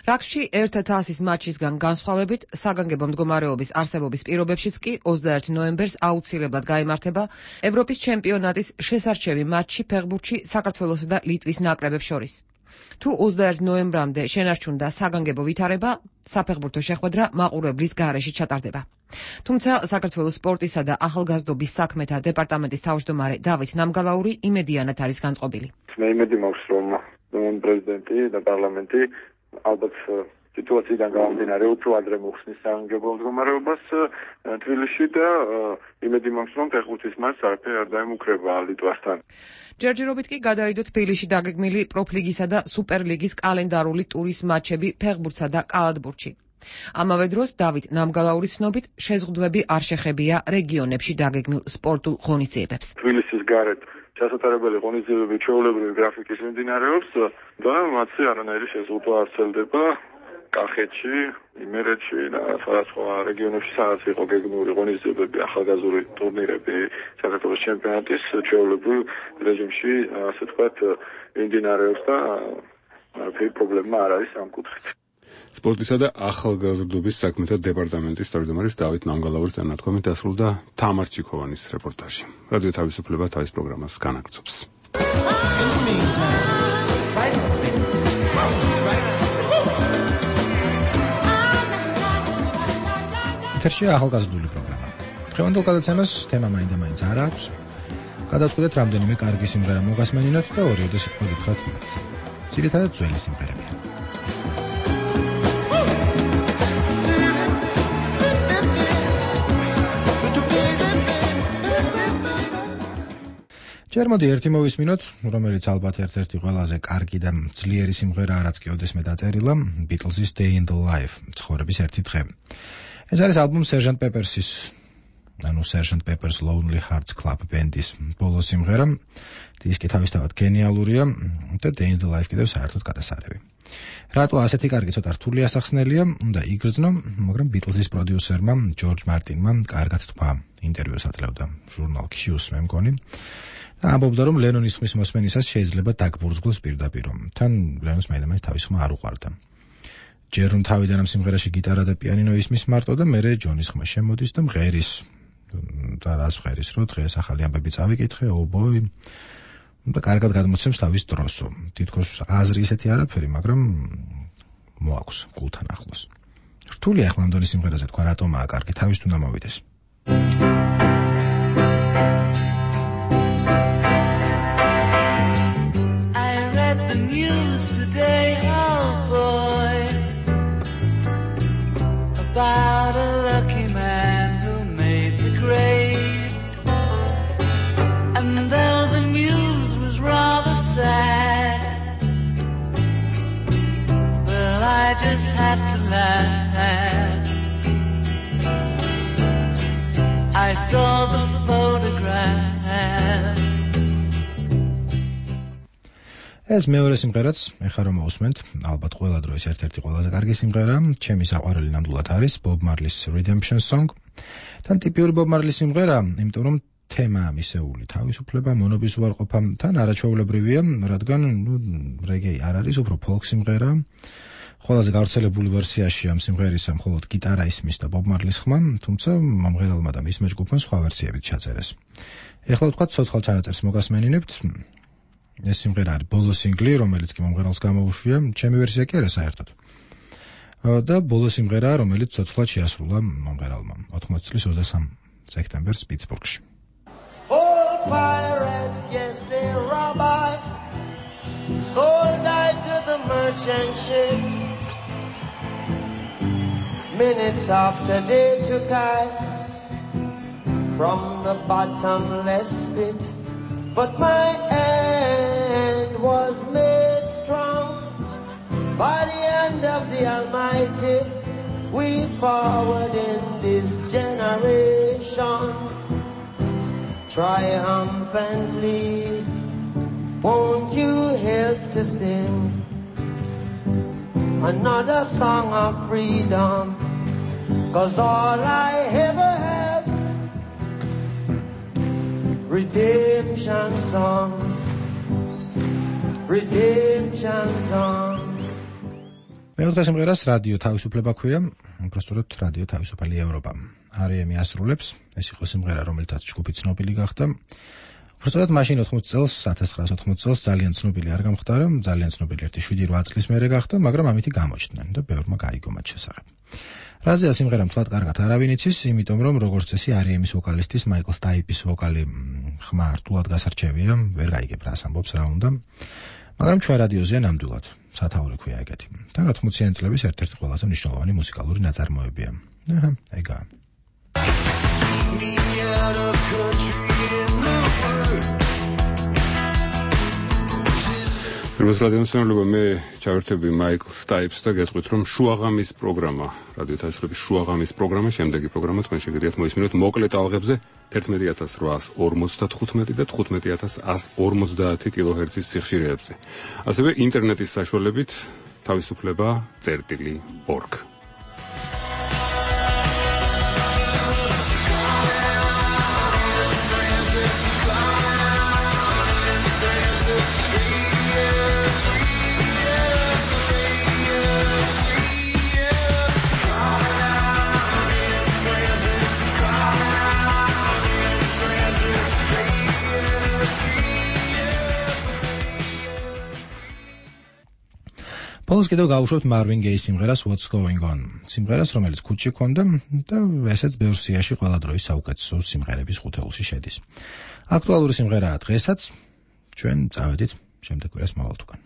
Speaker 6: რაგბში 1-100-ის მატჩისგან განსხვავებით, საგანგებო მდგომარეობის არსებობის პირობებშიც კი 21 ნოემბერს აუცილებლად გაიმართება ევროპის ჩემპიონატის შესარჩევი მატჩი ფეხბურთში საქართველოსა და ლიტვის ნაკრებებს შორის. თუ 21 ნოემბრამდე შენარჩუნდა საგანგებო ვითარება, საფეხბურთო შეხვედრა მაყურებლის გარეშე ჩატარდება. თუმცა საქართველოს სპორტისა და ახალგაზრდობის საქმეთა დეპარტამენტის თავმჯდომარე დავით ნამგალაური იმედიანად არის განწყობილი.
Speaker 5: მე იმედი მაქვს, რომ პრეზიდენტი და პარლამენტი ალბათ სიტუაციიდან გამომდინარე უფრო ადრე მოხსნის საგანგებო მდგომარეობას თბილისში და იმედი მაქვს, რომ ფეხბურთის მატჩს არაფერი არ დაემუქრება ლიტვასთან.
Speaker 6: ჯერჯერობით კი გადაიდო თბილისში დაგეგმილი პროფლიგისა და სუპერლიგის კალენდარული ტურის მატჩები ფეხბურთსა და კალათბურთში. ამავე დროს დავით ნამგალაურის ცნობით შეზღუდვები არ შეხებია რეგიონებში დაგეგმილ სპორტულ ღონისძიებებს.
Speaker 5: თბილისის გარეთ ჩასატარებელი ღონისძიებები ჩვეულებრივი გრაფიკის მიმდინარეობს და მათზე არანაირი შეზღუდვა არ ვრცელდება. კახეთში, იმერეთში და სხვადასხვა რეგიონებში სადაც იყო გეგმიური ღონისძიებები, ახალგაზრდული ტურნირები, საქართველოს ჩემპიონატის ჩვეულებრივ რეჟიმში, ასე ვთქვათ, მიმდინარეობს და არაფერი პრობლემა არ არის ამ კუთხით.
Speaker 1: სპორტისა და ახალგაზრდობის საქმეთა დეპარტამენტის თავმჯდომარის დავით ნამგალაურის თანათქვამით დასრულდა თამარ ჩიქოვანის რეპორტაჟი. რადიო თავისუფლება თავის პროგრამას განაგრძობს.
Speaker 13: ეთერშია ახალგაზრდული პროგრამა. დღევანდელ გადაცემას თემა მაინდა-მაინც არ აქვს. გადავწყვეტეთ რამდენიმე კარგი სიმღერა მოგასმენინოთ და ორიოდე სიტყვა გითხრათ მათ. ძირითადად ძველი სიმღერებია. ჯერ მოდი ერთი მოვისმინოთ, რომელიც ალბათ ერთ-ერთი ყველაზე კარგი და ძლიერი სიმღერა რაც კი ოდესმე დაწერილა, Beatles-ის Day in the Life, ცხოვრების ერთი დღე. ეს არის ალბომი Sgt. Pepper's-ის, Sgt. Pepper's Lonely Hearts Club Band-ის ბოლო სიმღერა. დისკი თავისთავად გენიალურია და Day in the Life კიდევ საერთოდ გადასარევი. რატო ასეთი კარგი ცოტა რთული ასახსნელია, უნდა იგრძნო, მაგრამ Beatles-ის პროდიუსერმა ჯორჯ მარტინმა კარგად თქვა, ინტერვიუს ატლევდა ჟურნალ Q-ს მე მგონი. და ამბობდა, რომ ლენონის ხმის მოსმენისას შეიძლება დაგბურძგლოს პირდაპირ. თან ლენონს მაინც თავის ხმა არ უყვარდა. ჯერ რომ თავიდან ამ სიმღერაში გიტარა და პიანინო ისმის მარტო და მერე ჯონის ხმა შემოდის და მღერის. და რას მღერის, რომ დღეს ახალი ამბები წავიკითხე, ობოი. და კარგად გადმოცემს თავის დროსო. თითქოს აზრი ისეთი არაფერი, მაგრამ მოაქვს გულთან ახლოს. რთული ახლა ამ დონის სიმღერაზე თქვა რატომაა კარგი, თავის უნდა მოვიდეს.
Speaker 14: About a lucky man who made the grade. And though the news was rather sad, well, I just had to laugh. I saw the photograph.
Speaker 13: ეს მეორე სიმღერაც, ეხლა რომ მოусმენთ, ალბათ ყველა დროის ერთ-ერთი ყველაზე კარგი სიმღერა, ჩემი საყვარელი ნამდვილად არის Bob Marley's Redemption Song. თან ტიპიური Bob Marley სიმღერა, იმიტომ რომ თემა მისეული თავისუფლება, მონობის უარყოფა, თან არაჩვეულებრივია, რადგან რეგეი არ არის, უფრო ფოლკ სიმღერა. ყველაზე გავრცელებული ვერსიაში ამ სიმღერისა მხოლოდ გიტარა ისმის და Bob Marley-ის ხმა, თუმცა მომღერალმა და მისმა ჯგუფმა სხვა ვერსიებით ჩაწერეს. ეხლა ვთქვათ, ცოცხალ ჩანაწერს მოგასმენინებთ. ეს სიმღერა არის ბოლო სინგლი, რომელიც კი მომღერალს გამოუშვია, ჩემი ვერსია კი არა საერთოდ. და ბოლო სიმღერა, რომელიც ცოცხლად შეასრულა მომღერალმა 80 წლის 23 სექტემბერს პიტსბურგში.
Speaker 14: All pirates, yes, they rob I, sold I to the merchant ships. Minutes after they took I from the bottomless pit, but my end was made strong by the hand of the Almighty. We forward in this generation triumphantly. Won't you help to sing another song of freedom? 'Cause all I ever have, redemption songs, redemption songs.
Speaker 13: მეოთხე სიმღერას რადიო თავისუფლება ქვია, უბრალოდ რადიო თავისუფალი ევროპა. R.E.M. ასრულებს, ეს იყო სიმღერა, რომელთაც ჯგუფი ცნობილი გახდა. უბრალოდ მაშინ 80 წელს, 1980 წელს ძალიან ცნობილი არ გამხდარა, ძალიან ცნობილი 7-8 წლის მერე გახდა, მაგრამ ამითი გამოჩნდნენ და ბევრმა გაიგო მათ შესახებ. რაზეა სიმღერა მთლად კარგად არავინ იცის, იმიტომ რომ როგორც წესი R.E.M.-ის ვოკალისტის მაიკლ სტაიპის ვოკალი ხმა რთულად გასარჩევია, ვერ გაიგებ რას ამბობს რა უნდა. მაგრამ ჩვენ რადიოზეა ნამდვილად სათაური ქვია ეგეთი. და 80-იანი წლების ერთ-ერთი ყველაზე მნიშვნელოვანი მუსიკალური ნაწარმოებია. აჰა, ეგაა.
Speaker 1: Pirmos რადიომსმენელობა მე ჩავერთები მაიკლ სტაიპს და გეტყვით რომ შუაღამის პროგრამა, რადიო თავისუფლების შუაღამის პროგრამა, შემდეგი პროგრამა თქვენ შეგიძლიათ მოისმინოთ მოკლე ტალღებზე 11855 და 15150 კილოჰერცის სიხშირეებზე. ასევე ინტერნეტის საშუალებით თავისუფლება წერტილი.org.
Speaker 13: ბოლოს კიდევ გავუშვებთ Marvin Gaye სიმღერას What's Going On. სიმღერას, რომელიც ქუჩში ჰქონდა და ესეც ბევრ სიაში ყველა დროის საუკეთესო სიმღერების ხუთეულში შედის. აქტუალური სიმღერაა დღესაც. ჩვენ წავედით შემდეგ კვირას მოვალთ უკან.